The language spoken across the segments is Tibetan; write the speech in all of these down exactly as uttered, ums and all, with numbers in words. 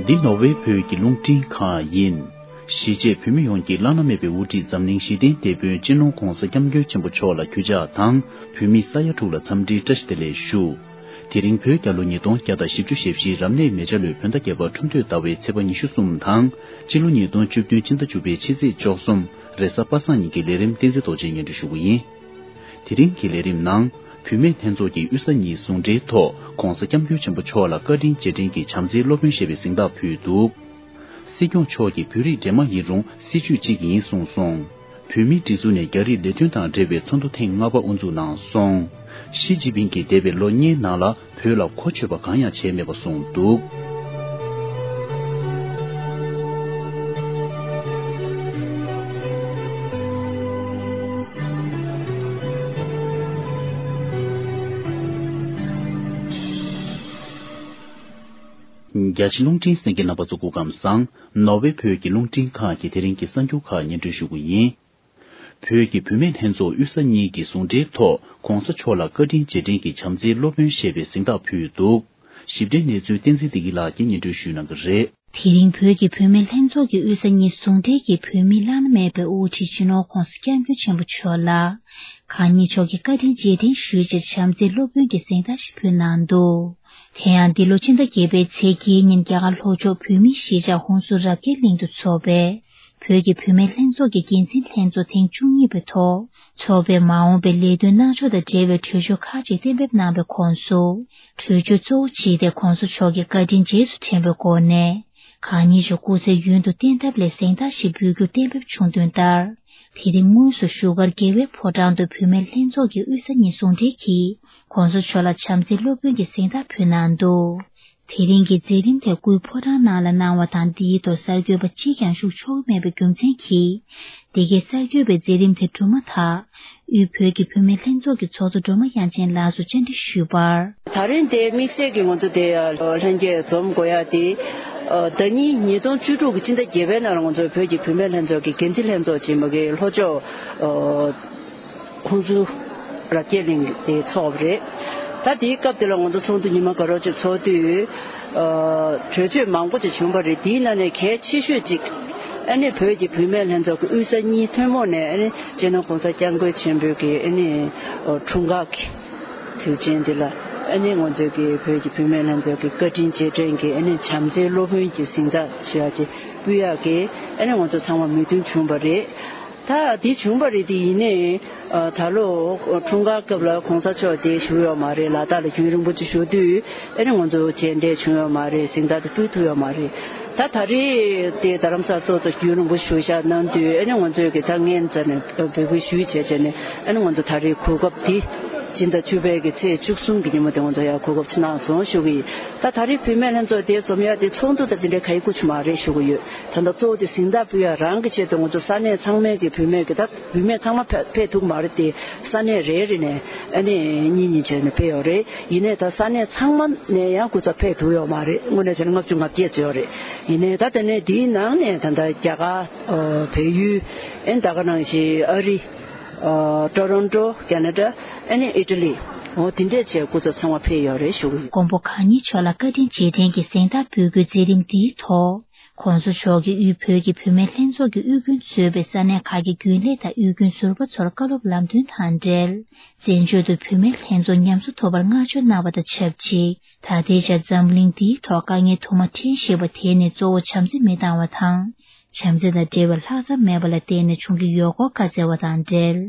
འདི་ནོར་ཝེ་བོད་ཀྱི་རླུང་འཕྲིན་ཁང་ཡིན། གཞིས་བྱེས་བོད་མི་ཡོངས་ཀྱི་བླ་ན་མེད་པའི་དབུ་ཁྲིད་འཛམ་གླིང་ཞི་བདེའི་དེད་དཔོན་སྤྱི་ནོར་༧གོང་ས་༧སྐྱབས་མགོན་ཆེན་པོ་མཆོག་ལ་གུས་ཕྱག་དང་བོད་མི་ས་ཡ་དྲུག་ལ་འཚམས་འདྲིའི་བཀྲ་ཤིས་བདེ་ལེགས་ཞུ། དེ་རིང་བོད་རྒྱལ་ལོ་ཉིས་སྟོང་བརྒྱ་དང་བཞི་བཅུ་ཞེ་བཞིའི་རབ་གནས་མེ་བྱ་ལོའི་བོད་ཟླ་བརྒྱད་པ་ཁྲུམས་སྟོད་ཟླ་བའི་ཚེས་པ་ཉི་ཤུ་གསུམ་དང་སྤྱི་ལོ་ཉིས་སྟོང་བཅུ་བདུན་ཕྱི་ཟླ་བཅུ་པའི་ཕྱི་ཚེས་བཅུ་གསུམ་རེས་གཟའ་པ་སངས་ཉིན་གྱི་ལས་རིམ་བསྟན་འཛིན་རྡོ་རྗེས་སྙན་སྒྲོན་ཞུ་གི་ཡིན། དེ་རིང་གི་ལས་རིམ་ནང་། བུད་མེད་ལྷན་ཚོགས་ཀྱི་དབུས་ས་གཉིས་ཟུང་འབྲེལ་ཐོག་༧གོང་ས་༧སྐྱབས་མགོན་ཆེན་པོ་མཆོག་ལ་བཀའ་དྲིན་རྗེས་དྲན་གྱི་བྱམས་བརྩེའི་སློབ་དཔོན་ཞེས་པའི་གཟེངས་རྟགས་ཕུལ་འདུག། སྲིད་སྐྱོང་མཆོག་གིས་བོད་རིགས་འདྲེས་མ་ཡིན་རུང་སྲིད་བྱུས་གཅིག་ཡིན་གསུངས་སོང་། བོད་མིའི་སྒྲིག་འཛུགས་ནས་རྒྱ་རིགས་ལས་དོན་དང་འབྲེལ་བའི་ཚོགས་འདུ་ཐེངས་ལྔ་པ་དབུ་འཛུགས་གནང་སོང་། ཞི་ཅིན་ཕིང་གིས་འདས་པའི་ལོ་ལྔའི་ནང་ལ་བོད་ལ་གོ་ཆོད་པ་གང་ཡང་བྱས་མེད་པ་གསུངས་འདུག། རྒྱ་ཆེ་རླུང་འཕྲིན་གསན་མཁན་རྣམ་པ་ཚོ་སྐུ་ཁམས་བཟང་། ནོར་ཝེ་བོད་ཀྱི་རླུང་འཕྲིན་ཁང་གི་དེ་རིང་གི་གསར་འགྱུར་ཁག་སྙན་སྒྲོན་ཞུ་གི་ཡིན། བོད་ཀྱི་བུད་མེད་ལྷན་ཚོགས་དབུས་ས་གཉིས་ཀྱི་ཟུང་འབྲེལ་ཐོག་༧གོང་ས་མཆོག་ལ་བཀའ་དྲིན་རྗེས་དྲན་གྱི་བྱམས་བརྩེའི་སློབ་དཔོན་ཞེས་པའི་གཟེངས་རྟགས་ཕུལ་འདུག། ཞིབ་ཕྲའི་གནས་ཚུལ་བསྟན་འཛིན་བདེ་སྐྱིད་ལགས་ཀྱིས་སྙན་སྒྲོན་ཞུ་གནང་གི་རེད། དེ་རིང་བོད་ཀྱི་བུད་མེད་ལྷན་ཚོགས་ཀྱི་དབུས་ས་གཉིས་ཟུང་འབྲེལ་གྱིས་བོད་མི་བླ་ན་མེད་པའི་དབུ་ཁྲིད་སྤྱི་ནོར་༧གོང་ས་༧སྐྱབས་མགོན་ཆེན་པོ་མཆོག་ལ། གང་ཉིད་མཆོག་གིས་བཀའ་དྲིན་རྗེས་དྲན་ཞུས་རྗེས་བྱམས་བརྩེའི་སློབ་དཔོན་གྱི་གཟེངས་རྟགས་ཤིག་ཕུལ་གནང་འདུག། དེ་ཡང་འདི་ལོ་ཕྱི་ཟླ་བརྒྱད་པའི་ཚེས་བརྒྱད་ཉིན་རྒྱ་གར་ལྷོ་ཕྱོགས་བོད་མིའི་གཞིས་ཆགས་ཧུན་སུར་རབ་རྒྱས་གླིང་དུ་འཚོགས་པའི་བོད་ཀྱི་བུད་མེད་ལྷན་ཚོགས་ཀྱི་འགན་འཛིན་ལྷན་ཚོགས་ཐེངས་བཅུ་གཉིས་པའི་ཐོག་འཚོགས་པའི་མ་འོངས་པའི་ལས་དོན་གནང་ཕྱོགས་དང་འབྲེལ་བའི་གྲོས་ཆོད་ཁག་ཅིག་གཏན་འབེབས་གནང་བའི་ཁོངས་སུ། གྲོས་ཆོད་གཙོ་བོ་གཅིག་དེ་གོང་ས་མཆོག་གི་བཀའ་དྲིན་རྗེས་སུ་དྲན་པའི་སྒོ་ནས། གང་ཉིད་ཀྱི་སྐུ་ཚེ་ཡུན་དུ་བརྟན་ཐབས་ལ་གཟེངས་རྟགས་ཤིག་འབུལ་རྒྱུ་གཏན་འབེབས་བྱུང་དོན་ལྟར། དེ་རིང་དངོས་སུ་བཞུགས་སྒར་རྒྱལ་བའི་ཕོ་བྲང་དུ་བུད་མེད་ལྷན་ཚོགས་ཀྱི་དབུས་ས་གཉིས་ཟུང་འབྲེལ་གྱིས། གོང་ས་མཆོག་ལ་བྱམས་བརྩེའི་སློབ་དཔོན་གྱི་གཟེངས་རྟགས་ཕུལ་གནང་འདུག། དེ་རིང་གི་མཛད་རིམ་དེ་སྐུའི་ཕོ་བྲང་ནང་ལ་གནང་བ་དང་། འདིའི་ཐོག་གསར་འགོད་པ་གཅིག་ཀྱང་ཞུགས་ཆོག་གི་མེད་པའི་རྒྱུ་མཚན་གྱིས། འདི་གའི་གསར་འགོད་པའི་མཛད་རིམ་དེ་གྲུབ་མ་ཐག་དབུས་བོད་ཀྱི་བུད་མེད་ལྷན་ཚོགས་ཀྱི་ཚོགས་གཙོ་སྒྲོལ་མ་དབྱངས་ཅན་ལགས་སུ་བཅར་འདྲི་ཞུས་པར། ད་རིང་དེ་དམིགས་བསལ་གྱི་ང་ཚོ་དེ་ལྷན་རྒྱས་འཛོམས་དགོས་ཡ་དེ། ཟླ་ཉིན་ཉིས་སྟོང་བཅུ་དྲུག་གི་ཕྱི་ཟླ་བརྒྱད་པའི་ནང་ལ་ང་ཚོ་བོད་ཀྱི་བུད་མེད་ལྷན་ཚོགས་ཀྱི་འགན་འཛིན་ལྷན་ཚོགས་ཆེན་མོ་གི་ལྷོ་ཕྱོགས། ཧུན་སུར་རབ་རྒྱས་གླིང་དེ་ཚོགས་པ་རེད། ད་དེའི་སྐབས་དེ་ལ་ང་ཚོ་ཚོགས་འདུ་ཉི་མ་དགའ་རབ་ཅིག་ཚོགས་དུས། གྲོས་ཆོད་མང་པོ་ཅིག་བྱུང་བ་རེད། དེའི་ནང་ནས་གལ་ཆེ་ཤོས་ཅིག་ཨ་ནི་བོད་ཀྱི་བུད་མེད་ལྷན་ཚོགས་ཀྱི་དབུས་ས་གཉིས་ཐུན་མོང་ནས་ཨ་ནི་སྤྱི་ནོར་༧གོང་ས་༧སྐྱབས་མགོན་ཆེན་པོའི་གི་ཨ་ནི་འཁྲུངས་སྐར་གྱི་དུས་ཆེན་འདི་ལ་ཨ་ནི་ང་ཚོའི་གི་བོད་ཀྱི་བུད་མེད་ལྷན་ཚོགས་ཀྱི་བཀའ་དྲིན་རྗེས་དྲན་གྱི་ཨ་ནི་བྱམས་བརྩེའི་སློབ་དཔོན་གྱི་གཟེངས་རྟགས་ཞུ་ཡག་ཅིག་ཕུལ་ཡག་གི་ཨ་ནི་ང་ཚོ་ཚང་མ་མོས་མཐུན་བྱུང་བ་རེད། ད་འདི་བྱུང་བ་རེད། དེ་ཡིན་ནའི་ད་ལོ་འཁྲུངས་སྐར་སྐབས་ལ་གོང་ས་མཆོག་དེ་བཞུགས་ཡོད་མ་རེད། ལ་དྭགས་ལ་རྒྱུན་རིང་པོ་ཅིག་བཞུགས་དུས་ཨ་ནི་ང་ཚོ་མཇལ་འཕྲད་བྱུང་ཡོད་མ་རེད། གཟེངས་རྟགས་དེ་ཕུལ་ཐུབ་ཡོད་མ་རེད། ད་ད་རེས་དེ་རྡ་རམ་ས་ལ་ཏོག་ཙམ་རྒྱུན་རིང་པོ་བཞུགས་བཞག་གནང་དུས་ཨ་ནི་ང་ཚོས་གི་ད་སྔོན་ཙམ་ནས་འབོད་སྐུལ་ཞུས་བྱས་བྱས་ནས་ཨ་ནི་ང་ཚོ་ད་རེས་གོ་སྐབས་འདི་སྤྱི་ཟླ་བཅུ་པའི་གི་ཚེས་བཅུ་གསུམ་གི་ཉིན་མོ་དེ་ང་ཚོ་ཡང་གོ་སྐབས་ཅིག་གནང་སོང་ཞུ་གི་ཡིན། ད་ད་རེས་བུད་མེད་ལྷན་ཚོགས་དེ་འཛོམས་ཡ་དེ་ཚོགས་འདུ་དང་དེ་འདྲའི་ག་ཡི་སྐུ་ཆུ་མ་རེད་ཞུ་གི་ཡོད། ད་ལྟ་གཙོ་བོ་དེ་གཟེངས་རྟགས་ཕུལ་ཡ་རང་གི་ཆེད་དུ་ང་ཚོ་ས་གནས་ཚང་མའི་གི་བུད་མེད་གི་ད་བུད་མེད་ཚང་མ་ཕེ་ཕེབས་ཐུབ་མ་རེད་དེ། ས་གནས་རེ་རེ་ནས་ཨ་ནི་གཉིས་གཉིས་བྱས་ནས་ཕེབས་ཡོད་རེད། ཡིན་ནའི་ད་ས་གནས་ཚང་མ་ནས་ཡང་སྐུ་ཚབ་ཕེབས་ཐུབ་ཡོད་མ་རེད། དངོས་གནས་བྱས་ན་ལྔ་བཅུ་ང་བརྒྱད་ཙམ་ཡོད་རེད། ཡིན་ནའི་ད་དེ་ནས་དེའི་ནང་ནས་ད་ལྟ་རྒྱ་གར། བལ་ཡུལ། ཨ་ནི་ད་ག་ནང་བཞིན་ཨ་རི། ཊོ་རོན་ཊོ། ཁེ་ན་ཌ། ཨ་ནི་ཨི་ཊ་ལི། འོ་དེ་འདྲས་བྱས་སྐུ་ཚབ་ཚང་མ་ཕེབས་ཡོད་རེད་ཞུ་གི་ཡོད། མགོན་པོ་གང་ཉིད་མཆོག་ལ་བཀའ་དྲིན་རྗེས་དྲན་གྱི་གཟེངས་རྟགས་འབུལ་རྒྱུའི་མཛད་རིམ་འདིའི་ཐོག་གོང་ས་མཆོག་གིས་དབུས་བོད་ཀྱི་བུད་མེད་ལྷན་ཚོགས་ཀྱི་དབུས་རྒྱུན་གཙོས་པའི་ས་གནས་ཁག་གི་རྒྱུན་ལས་དང་དབུས་རྒྱུན་ཟུར་པ་ཚོར་བཀའ་སློབ་ལམ་སྟོན་དང་འབྲེལ། བཙན་བྱོལ་དུ་བུད་མེད་ལྷན་ཚོགས་ཉམས་གསོ་ཐུབ་པར་བསྔགས་བརྗོད་གནང་བ་དང་ཆབས་ཅིག་ད་ལྟའི་ཆར་འཛམ་གླིང་འདིའི་ཐོག་དཀའ་ངལ་དུ་མ་འཕྲད་བཞིན་པ་དེ་ནི་གཙོ་བོ་བྱམས་བརྩེ་མི་འདང་བ་དང་། བྱམས་བརྩེ་དང་འབྲེལ་བའི་ལྷག་བསམ་མེད་པ་ལ་བརྟེན་ནས་བྱུང་གི་ཡོད་སྐོར་བཀའ་སྩལ་བ་དང་འབྲེལ།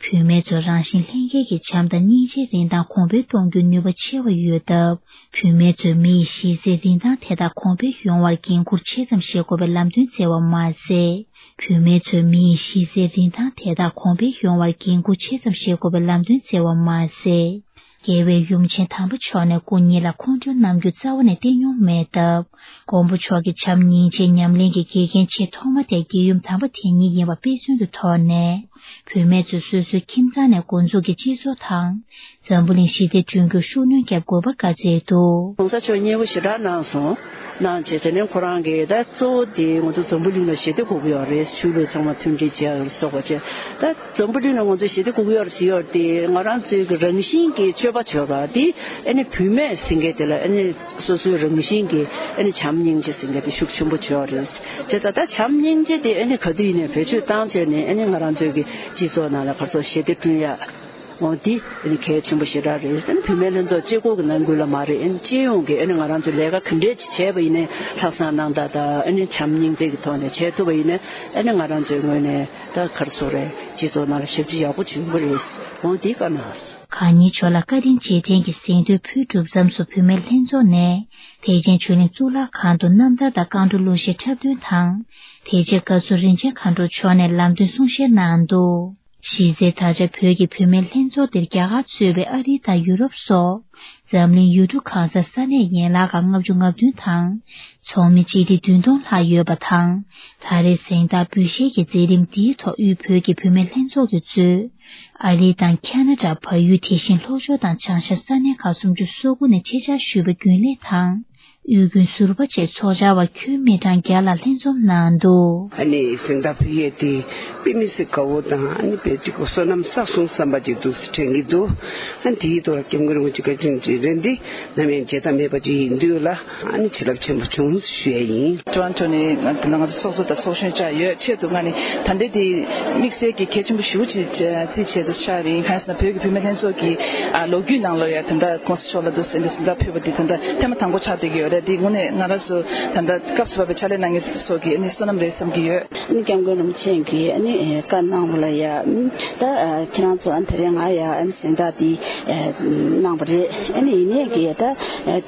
བུད་མེད་ཚོས་རང་བཞིན་ལྷན་སྐྱེས་ཀྱི་བྱམས་དང་སྙིང་རྗེའི་རིན་ཐང་གོང་འཕེལ་གཏོང་རྒྱུའི་ནུས་པ་ཆེ་བ་ཡོད་སྟབས། བུད་མེད་ཚོས་མི་ཡི་གཞི་རྩའི་རིན་ཐང་དེ་དག་གོང་འཕེལ་ཡོང་བར་འགན་འཁུར་ཆེ་ཙམ་བཞེས་དགོས་པའི་ལམ་སྟོན་སྩལ་བ་མ་ཟད། བུད་མེད་ཚོས་མི་ཡི་གཞི་རྩའི་རིན་ཐང་དེ་དག་གོང་འཕེལ་ཡོང་བར་འགན་འཁུར་ཆེ་ཙམ་བཞེས་དགོས་པའི་ལམ་སྟོན་སྩལ་བ་མ་ཟད། རྒྱལ་བའི་ཡུམ་ཆེན་དམ་པ་མཆོག་ནས་སྐུ་ཉིད་ལ་ཁོང་ཁྲོའི་རྣམ་འགྱུར་རྩ་བ་ནས་བསྟན་མྱོང་མེད་སྟབས། མགོན་པོ་མཆོག་གི་བྱམས་སྙིང་རྗེའི་ཉམས་ལེན་གྱི་དགེ་རྒན་ཆེས་ཐོག་མ་དེ་རྒྱལ་ཡུམ་དམ་པ་དེ་ཉིད་ཡིན་པ་དཔེ་མཚོན་དུ་ཐོགས་ནས། བུད་མེད་ཚོས་སོ་སོའི་ཁྱིམ་ཚང་ནས་འགོ་འཛུགས་ཀྱིས་སྤྱི་ཚོགས་དང་། འཛམ་བུ་གླིང་ཞི་བདེ་བསྐྲུན་རྒྱུར་ཤུགས་སྣོན་བརྒྱབ་དགོས་པར་བཀའ་སྩལ་འདུག། གོང་ས་མཆོག་མཉེས་པོ་ཞེ་དྲག་གནང་སོང་། གནང་བྱས་དེ་ནས་ཁོ་རང་གིས་ད་གཙོ་བོ་དེ་ང་ཚོ་འཛམ་བུ་གླིང་ལ་ཞི་བདེ་དགོས་ཀྱི་ཡོད་རེད། ཆོས་ལུགས་ཚང་མ་མཐུན་སྒྲིལ་བྱེད་ཡག་ལ་སོགས་པ་བྱས། ད་འཛམ་བུ་གླིང་ལ་ང་ཚོ་ཞི་བདེ་དགོས་ཀྱི་ཡོད་རེད་ཟེར་ཡོད་དེ། ང་རང་ཚོའི་གི་རང་བཞིན་གྱི་ཆོས་ པ་བྱོས་པ་འདི་ཨ་ནི་བུད་མེད་ཟེར་མཁན་དེ་ལ་ཨ་ནི་སོ་སོའི་རང་བཞིན་གྱི་ཨ་ནི་བྱམས་སྙིང་རྗེ་ཟེར་མཁན་དེ་ཤུགས་ཆེན་པོ་བྱོས་རེད། བྱས་ཙང་ད་བྱམས་སྙིང་རྗེ་དེ་ཨ་ནི་ག་དུས་ཡིན་ནའི་བེད་སྤྱོད་བཏང་བྱས་ནས་ཨ་ནི་ང་རང་ཚོའི་གི་སྤྱི་ཚོགས་ནང་ལ་ག་ཚོད་ཞི་བདེ་བསྐྲུན་ཡ། འོ་འདི་ཨ་ནི་གལ་ཆེན་པོ་ཞེ་དྲག་རེད། ཨ་ནི་བུད་མེད་ལྷན་ཚོགས་གཅིག་པོ་གི་ནང་ཁུལ་ལ་མ་རེད། ཨ་ནི་སྤྱི་ཡོངས་ཀྱི་ཨ་ནི་ང་རང་ཚོ་ལས་ཀ་ག་འདྲས་ཅིག་བྱས་པ་ཡིན་ནའི་ལྷག་བསམ་རྣམ་དག་དང་ཨ་ནི་བྱམས་སྙིང་རྗེ་གི་ཐོག་ནས་བྱས་ཐུབ་པ་ཡིན་ནའི་ཨ་ནི་ང་རང་ཚོའི་ངོས་ནས་ད་ག་རེ་ཟེར་དགོས་རེད། སྤྱི་ཚོགས་ནང་ལ་ཞབས་ཕྱི་ཡག་པོ་བྱུང་གི་རེད། འོ་འདི་བཀའ་གནང་སོང་། གང་ཉིད་ཇོ་ལགས་བཀའ་དྲིན་རྗེས་དྲན་གྱི་གཟེངས་བསྟོད་ཕུལ་གྲུབ་མཚམས་སུ་བུད་མེད་ལྷན་ཚོགས་ནས་ཐེག་ཆེན་ཆོས་གླིང་གཙུག་ལག་ཁང་དུ་རྣམ་ཐར་དང་བཀའ་འགྲོ་གླུ་གཞས་འཁྲབ་སྟོན་དང་། དེ་རྗེས་བཀའ་ཟུར་རིན་ཆེན་མཁའ་འགྲོ་མཆོག་ནས་ལམ་སྟོན་གསུང་བཤད་གནང་འདུག་གཞི་རྩའི་ད་ཆ་བོད་ཀྱི་བུད་མེད་ལྷན་ཚོགས་འདིར་རྒྱ་གར་གཙོས་པའི་ཨ་རི་དང་ཡུ་རོབ་སོགས་འཛམ་གླིང་ཡུལ་གྲུ་གང་སར་ས་གནས་ཡན་ལག་ཁག་ལྔ་བཅུ་ང་བདུན་དང་ཚོགས་མི་སྤྱི་བདེ་བདུན་སྟོང་ལྷག་ཡོད་པ་དང་། ད་རེས་གཟེངས་རྟགས་འབུལ་བཞེས་ཀྱི་མཛད་རིམ་འདིའི་ཐོག་དབུས་བོད་ཀྱི་བུད་མེད་ལྷན་ཚོགས་ཀྱིས་གཙོས། ཨ་རི་དང་ཁ་ན་ཌ། བལ་ཡུལ། དེ་བཞིན་ལྷོ་ཕྱོགས་དང་བྱང་ཤར་ས་གནས་ཁག་སུམ་ཅུ་སོ་དགུ་ནས་ཆེད་བཅར་ཞུས་པ་རྒྱུན་ལས་དང་། དབུས་རྒྱུན་ཟུར་པ་བཅས་ཚོགས་བཅར་བ་ཁྱོན་མི་གྲངས་བརྒྱ་ལ་ལྷན་འཛོམས་གནང་འདུག་ཨ་ནི་གཟེངས་རྟགས་ཕུལ་ཡས་དེ་དཔེ་མི་སྲིད་དགའ་བོ་དང་ཨ་ནི་དཔེ་ཅིག་བསོད་ནམས་བསགས་སོང་བསམ་པ་ཅིག་འདུག་སེ་དྲན་གྱི་འདུག་ཨ་ནི་དེའི་ཐོག་ལ་སྐྱབས་མགོན་རིན་པོ་ཆེ་བཀའ་དྲིན་རྗེས་དྲན་འདི་ནམ་ཡང་བརྗེད་ཐབས་མེད་པ་ཅིག་ཡིན་དུས་ལ་ཨ་ནི་བྱིན་རླབས་ཆེན་པོ་བྱུང་ཞུ་ཡས་ཡིན། ཊོ་རོན་ཊོ་ནས་ང་ང་ཚོ་ཚོགས་གཙོ་དང་ཚོགས་གཞོན་བཅར་ཡོད། ཆེད་དུ་ང་ནི་ད་ལྟའི་དེ་དམིགས་བསལ་གྱི་གལ་ཆེན་པོ་ཞེ་པོ་ཅིག་རྩིས་བྱས་འདུག་ཆགས་རེད། གང་ཡིན་ཟེར་ན་བོད་ཀྱི་བུད་མེད་ལྷན་ཚོགས་ཀྱི་ཨ་ལོ་རྒྱུས་ནང་ལོགས་ཡ་ད་ལྟ་༸གོང་ས་མཆོག་ལ་འདུག་སེ་འདི་གཟེངས་རྟགས་ཕུལ་བ་འདི་ད་ལྟ་ཐེངས་མ་དང་པོ་ཆགས་བསྡད་ཀྱི་ཡོད་རེད། འདི་དངོས་གནས་ང་རང་ཚོ་ད་ལྟ་སྐབས་སུ་བབས་པའི་ཕྱག་ལས་གནང་མཁན་ཚོ་གི་ཨ་ནི་བསོད་ནམས་རེད་བསམ་གྱི་ཡོད། ཨ་ནི་སྐྱབས་མགོན་རིན་པོ་ཆེ་གིས་ཨ་ནི་བཀའ་གནང་བ་ལ་ཡ་ད་ཁྱེད་རང་ཚོ་ཨ་ནི་དེ་རིང་ང་ཡ་ཨ་ནི་གཟེངས་རྟགས་འདི་གནང་བ་རེད། ཨ་ནི་ཡིན་ནའི་གི་ད་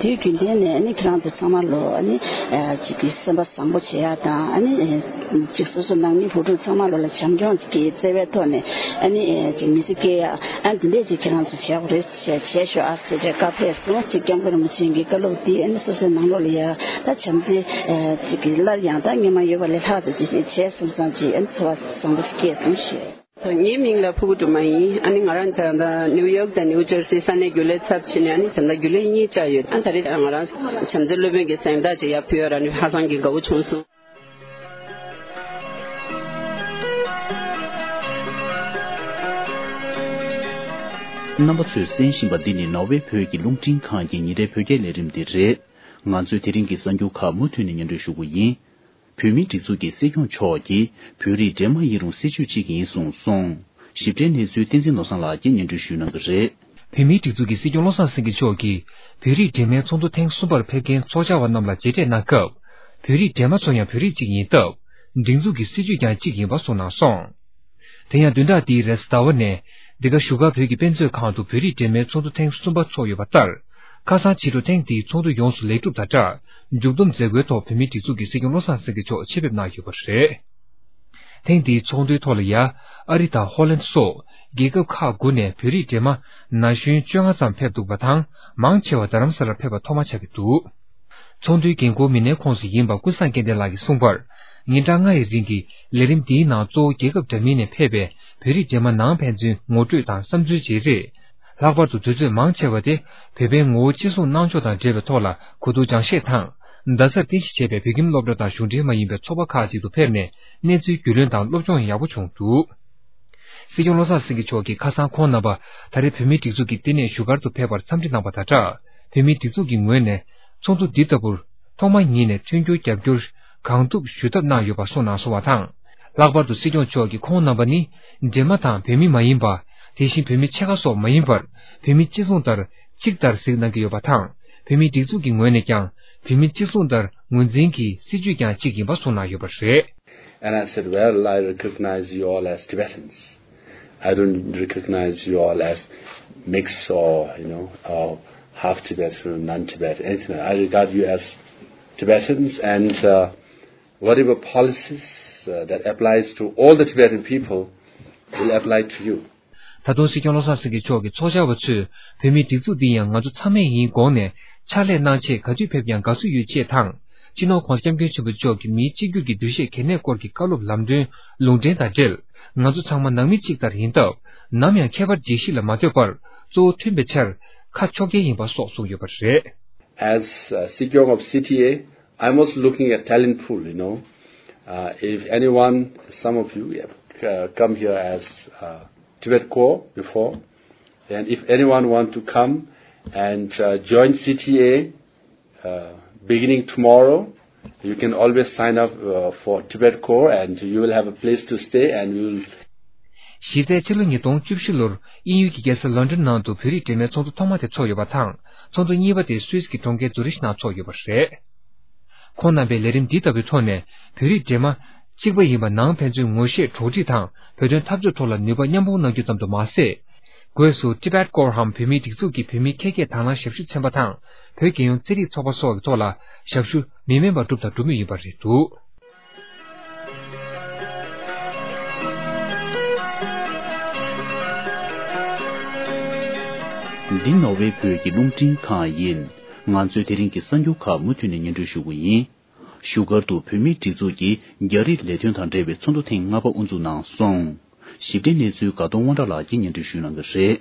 དུས་རྒྱུན་ལྡན་ནས་ཨ་ནི་ཁྱེད་རང་ཚོ་ཚང་མ་ལོ་ཨ་ནི་ཅིག་གི་སེམས་པ་བཟང་པོ་བྱེད་ཡ་དང་ཨ་ནི། ཅིག་སོ་སོ་ནང་མི་བུ་ཕྲུག་ཚང་མ་ལོ་ལ་བྱམས་སྐྱོང་གི་བརྩེ་བའི་ཐོག་ནས་ཨ་ནི་ཅིག་མི་ཚེ་སྐྱེལ་ཡ་ཨ་འདི་འདྲས་ཅིག་ཁྱེད་རང་ཚོ་བྱེད་དགོས་རེད་ཅེས་བྱས་ཤོག་ཨ་ཅེས་བྱས་བཀའ་ཕེབས་སོང་། ཅིག་སྐྱབས་མགོན་རིན་པོ་ཆེ་གི་བཀའ་སློབ་འདི་ཨ་ནི་སོ་སོའི་ནང་ལོགས་ལ་ཡ་ད་བྱམས་བརྩེ་ཅིག་གི་སླར་ཡང་ད་སྔོན་མ་ཡོད་པ་ལས་ལྷག་ཙམ་ཅིག་བྱས་སོང་བསམ་ཅིག་ཨ་ནི་ཚོར་བ་བཟང་པོ་ཞིག་སྐྱེས་སོང་ཞུ། ངའི་མིང་ལ་ཕུར་བུ་སྒྲོལ་མ་ཡིན། ཨ་ནི་ང་རང་ད་ལྟ་ནིའུ་ཡོག་དང་ནིའུ་ཇར་སི་ས་གནས་རྒྱུན་ལས་ཚབ་བྱས་ནས་ཨ་ནི་ད་ལྟ་རྒྱུན་ལས་གཉིས་བཅར་ཡོད། ཨ་ད་རེས་ང་རང་བྱམས་བརྩེ་སློབ་དཔོན་གྱི་གཟེངས་རྟགས་ཅིག་ཡར་ཕུལ་ཡོད་ར་ནི་ཧ་ཅང་གི་དགའ་བོ་བྱུང་སོང་། རྣམ་པ་ཚོས་གསན་བཞིན་པ་འདི་ནི་ནོར་ཝེ་བོད་ཀྱི་རླུང་འཕྲིན་ཁང་གི་ཉིན་རེའི་བོད་སྐད་ལས་རིམ་འདི་རེད། ང་ཚོའི་དེ་རིང་གི་གསར་འགྱུར་ཁག་མུ་མཐུད་ནས་སྙན་སྒྲོན་ཞུ་གི་ཡིན། བོད་མིའི་སྒྲིག་འཛུགས་ཀྱི་སྲིད་སྐྱོང་མཆོག་གིས་བོད་རིགས་འདྲེས་མ་ཡིན་རུང་སྲིད་བྱུས་གཅིག་ཡིན་གསུངས་སོང་། ཞིབ་ཕྲའི་གནས་ཚུལ་བསྟན་འཛིན་བློ་བཟང་ལགས་ཀྱིས་སྙན་སྒྲོན་ཞུ་གནང་གི་རེད། བོད་མིའི་སྒྲིག་འཛུགས་ཀྱི་སྲིད་སྐྱོང་བློ་བཟང་སེང་གེ་མཆོག་གིས་བོད་རིགས་འདྲེས་མའི་ཚོགས་འདུ་ཐེངས་གསུམ་པར་ཕེབས་མཁན་ཚོགས་བཅར་བ་རྣམས་ལ་མཇལ་འཕྲད་གནང་སྐབས། བོད་རིགས་འདྲེས་མ་ཚོ་ཡང་བོད་རིགས་གཅིག་ཡིན་སྟབས། སྒྲིག་འཛུགས་ཀྱི་སྲིད་བྱུས་ཀྱང་གཅིག་ཡིན་པ་གསུངས་གནང་སོང་། དེ་ཡང་བདུན་ཕྲག་འདིའི་རེས་གཟའ་ཟླ་བ་ནས་འདི་ག་བཞུགས་སྒར་བོད་ཀྱི་དཔེ་མཛོད་ཁང་དུ་བོད་རིགས་འདྲེས་མའི་ཚོགས་འདུ་ཐེངས་གསུམ་པ་འཚོགས་ཡོད་པ་ལྟར། ཁ་སང་ཕྱི་དྲོ་ཐེངས་འདིའི་ཚོགས་འདུ་ཡོངས་སུ་ལེགས་གྲུབ་དང་སྦྲགས་མཇུག་བསྡོམས་མཛད་སྒོའི་ཐོག་བོད་མིའི་སྒྲིག་འཛུགས་ཀྱི་སྲིད་སྐྱོང་བློ་བཟང་སེང་གེ་མཆོག་ཆེད་ཕེབས་གནང་ཡོད་པ་རེད། ཐེངས་འདིའི་ཚོགས་འདུའི་ཐོག་ལ་ཡ། ཨ་རི་དང་ཧོ་ལན་སོགས་རྒྱལ་ཁབ་ཁག་དགུ་ནས་བོད་རིགས་འདྲེས་མ་ན་གཞོན་བཅོ་ལྔ་ཙམ་ཕེབས་འདུག་པ་དང་། མང་ཆེ་བ་རྡ་རམ་ས་ལར་ཕེབས་པ་ཐོག་མ་ཆགས་ཀྱི་འདུག་ཚོགས་འདུའི་འགན་འཁུར་མི་སྣའི་ཁོངས་སུ་ཡིན་པ་ཀུན་བཟང་སྐལ་ལྡན་ལགས་ཀྱིས་གསུངས་པར། ཉིན་གྲངས་ལྔ་ཡི་རིང་གི་ལས་རིམ་འདིའི་ནང་གཙོ་བོ་རྒྱལ་ཁབ་འདྲ་མིན་ནས་ཕེབས་པའི་བོད་རིགས་འདྲེས་མ་ནང་ཕན་ཚུན་ངོ་སྤྲོད་དང་བསམ་ཚུལ་བརྗེ་རེས། ལྷག་པར་དུ་དུས་ཚོད་མང་ཆེ་བ་དེ་བོད་པའི་ངོ་བོ་གཅིག་མཚུངས་གནང་ཕྱོགས་དང་འབྲེལ་བའི་ཐོག་ལ་གོ་བསྡུར་སྦྱང་བཤད་དང་། རྡ་སར་རྟེན་གཞི་བྱས་པའི་བོད་ཁྱིམ་སློབ་གྲྭ་དང་གཞུང་འབྲེལ་མ་ཡིན་པའི་ཚོགས་པ་ཁག་ཅིག་ཏུ་ཕེབས་ནས་གནས་ཚུལ་རྒྱུས་ལོན་དང་སློབ་སྦྱོང་ཡག་པོ་བྱུང་འདུག་སྲིད་སྐྱོང་བློ་བཟང་སེང་གེ་མཆོག་གིས་ཁ་སང་ཁོང་རྣམ་པ་ད་རེས་བོད་མིའི་སྒྲིག་འཛུགས་ཀྱི་ལྟེ་གནས་བཞུགས་སྒར་དུ་ཕེབས་པར་འཚམས་འདྲི་གནང་པ་དང་སྦྲགས། བོད་མིའི་སྒྲིག་འཛུགས་ཀྱི་ངོས་ནས་ཚོགས་འདུ་འདི་ལྟ་བུར་ཐོག་མ་ཉིད་ནས་མཐུན་འགྱུར་རྒྱབ་སྐྱོར་གང་ཐུབ་ཞུ་ཐབས་གནང་ཡོད་པ་གསུངས་གནང་སོང་བ་དང་། ལྷག་པར་དུ་སྲིད་སྐྱོང་མཆོག་གིས་ཁོང་རྣམ་པ་ནི་འདྲེས་མ་དང་བོད་མི་མ་ཡིན་པ། དེ་བཞིན་བོད་མི་ཕྱེད་ཀ་སོགས་མ་ཡིན་པར་བོད་མི་གཅིག་མཚུངས་ལྟར་གཅིག་ལྟར་གཟིགས་གནང་གི་ཡོད་པ་དང་། བོད་མིའི་སྒྲིག་འཛུགས་ཀྱི་ངོས་ནས་ཀྱང་བོད་མི་གཅིག་མཚུངས་ལྟར་ངོས་འཛིན་གྱིས་སྲིད་བྱུས་ཀྱང་གཅིག་ཡིན་པ་གསུངས་གནང་ཡོད་པ་རེད། And I said, "Well, I recognize you all as Tibetans. I don't recognize you all as mixed or, you know, or half Tibetan or non-Tibetan, anything. I regard you as Tibetans, and uh, whatever policies uh, that applies to all the Tibetan people will apply to you." ད་དུང་སྲིད་སྐྱོང་བློ་བཟང་སེང་གེ་མཆོག་གིས་ཚོགས་བཅར་བ་ཚོས་བོད་མིའི་སྒྲིག་འཛུགས་འདི་ཡང་ང་ཚོ་ཚང་མས་ཡིན་དགོངས་ནས་ཕྱག་ལས་གནང་ཆེད་ག་དུས་ཕེབས་ཀྱང་དགའ་བསུ་ཡོད་ཅེས་དང་། སྤྱི་ནོར་༸གོང་ས་༸སྐྱབས་མགོན་ཆེན་པོ་མཆོག་གིས་མིའི་གཅིག་གྱུར་གྱི་འདུ་ཤེས་གལ་གནད་སྐོར་གྱི་བཀའ་སློབ་ལམ་སྟོན་ལུང་འདྲེན་དང་འབྲེལ། ང་ཚོ་ཚང་མ་ནང་མི་གཅིག་ལྟར་ཡིན་སྟབས། ནམ་ཡང་ཁྱད་པར་འབྱེད་གཞི་ལ་མ་ལྟོས་པར་གཙོ་བོ་མཐུན་པའི་ཕྱིར་ཁ་ཕྱོགས་འགལ་ཡིན་པ་སོགས་གསུངས་ཡོད་པ་རེད། As uh, Sikyong of C T A, I'm also looking at talent pool, you know. Uh, if anyone, some of you have uh, come here as uh, Tibet Corps before, And if anyone want to come and uh, join C T A, uh, beginning tomorrow, you can always sign up uh, for Tibet Corps and you will have a place to stay and you will གཞི་རྩའི་ཕྱི་ལོ་ཉིས་སྟོང་བཅུ་བཞི་ལོར་དབྱིན་ཡུལ་གྱི་རྒྱལ་ས་ལོན་ཌོན་ནང་དུ་བོད་རིགས་འབྲེལ་མོལ་ཚོགས་འདུ་ཐོག་མ་དེ་ཚོགས་ཡོད་པ་དང་། ཚོགས་འདུ་གཉིས་པ་དེ་སུད་སི་གི་གྲོང་ཁྱེར་ཛུ་རིཤ་ནང་ཚོགས་ཡོད་པ་རེད། ཁོང་རྣམ་པའི་ལས་རིམ་འདི་ལྟ་བུའི་ཐོག་ནས་བོད་རིགས་འདྲེས་མ་གཅིག་པ་ཡིན་པ་ནང་ཕན་ཚུན་ངོ་ཤེས་གྲོགས་འདྲིས་དང་བོད་དོན་འཐབ་རྩོད་ཐོག་ལ་ནུས་པ་མཉམ་སྤུངས་གནང་རྒྱུ་ཙམ་དུ་མ་ཟད། སྒོས་སུ་Tibet Corps འམ་བོད་མིའི་སྒྲིག་འཛུགས་ཀྱི་བོད་མིའི་ཁྱད་བརྒྱད་དང་བླངས་ཞབས་ཞུ་ཚན་པ་དང་བོད་རྒྱལ་ཡོངས་རྩེད་རིགས་ཚོགས་པ་སོགས་ཀྱི་ཐོག་ལ་ཞབས་ཞུ་མི་དམན་པ་བསྒྲུབས་དང་སྒྲུབ་མུས་ཡིན་པ་རེད་འདུག་འདི་ནོར་ཝེ་བོད་ཀྱི་རླུང་འཕྲིན་ཁང་ཡིན། ང་ཚོས་དེ་རིང་གི་གསར་འགྱུར་ཁག་མུ་མཐུད་ནས་སྙན་སྒྲོན་ཞུ་གི་ཡིན། བཞུགས་སྒར་དུ་བོད་མིའི་སྒྲིག་འཛུགས་ཀྱི་རྒྱ་རིགས་ལས་དོན་དང་འབྲེལ་བའི་ཚོགས་འདུ་ཐེངས་ལྔ་པ་དབུ་འཛུགས་གནང་སོང་། ཞིབ་ཕྲའི་གནས་ཚུལ་དགའ་གདོང་དབང་གྲགས་ལགས་ཀྱིས་སྙན་སྒྲོན་ཞུ་གནང་གི་རེད།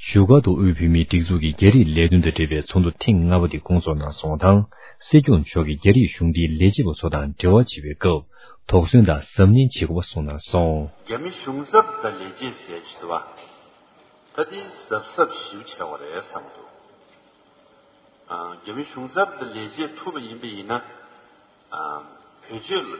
བཞུགས་སྒར་དུ་དབུས་བོད་མིའི་སྒྲིག་འཛུགས་ཀྱི་རྒྱ་རིགས་ལས་དོན་དང་འབྲེལ་བའི་ཚོགས་འདུ་ཐེངས་ལྔ་པ་དེ་སྐོང་ཚོགས་གནང་སོང་བ་དང་། སྲིད་སྐྱོང་མཆོག་གིས་རྒྱ་རིགས་གཞུང་འབྲེལ་ལས་བྱེད་པ་ཚོ་དང་འབྲེལ་བ་བྱེད་པའི་སྐབས། དོགས་ཟོན་དང་གཟབ་ནན་བྱེད་དགོས་པ་གསུངས་གནང་སོང་། རྒྱ་མི་གཞུང་ཚབ་དང་ལས་བྱེད་ཟེར་གྱི་འདུག་བ། ད་དེ་གཟབ་གཟབ་ཞེ་པོ་བྱས་པ་རེད་བསམ་འདུག་ཨ། རྒྱ་མི་གཞུང་ཚབ་དང་ལས་བྱེད་ཐུབ་པ་ཡིན་པ་ཡིན་ན། ཨ། བེད་སྤྱོད་ལ་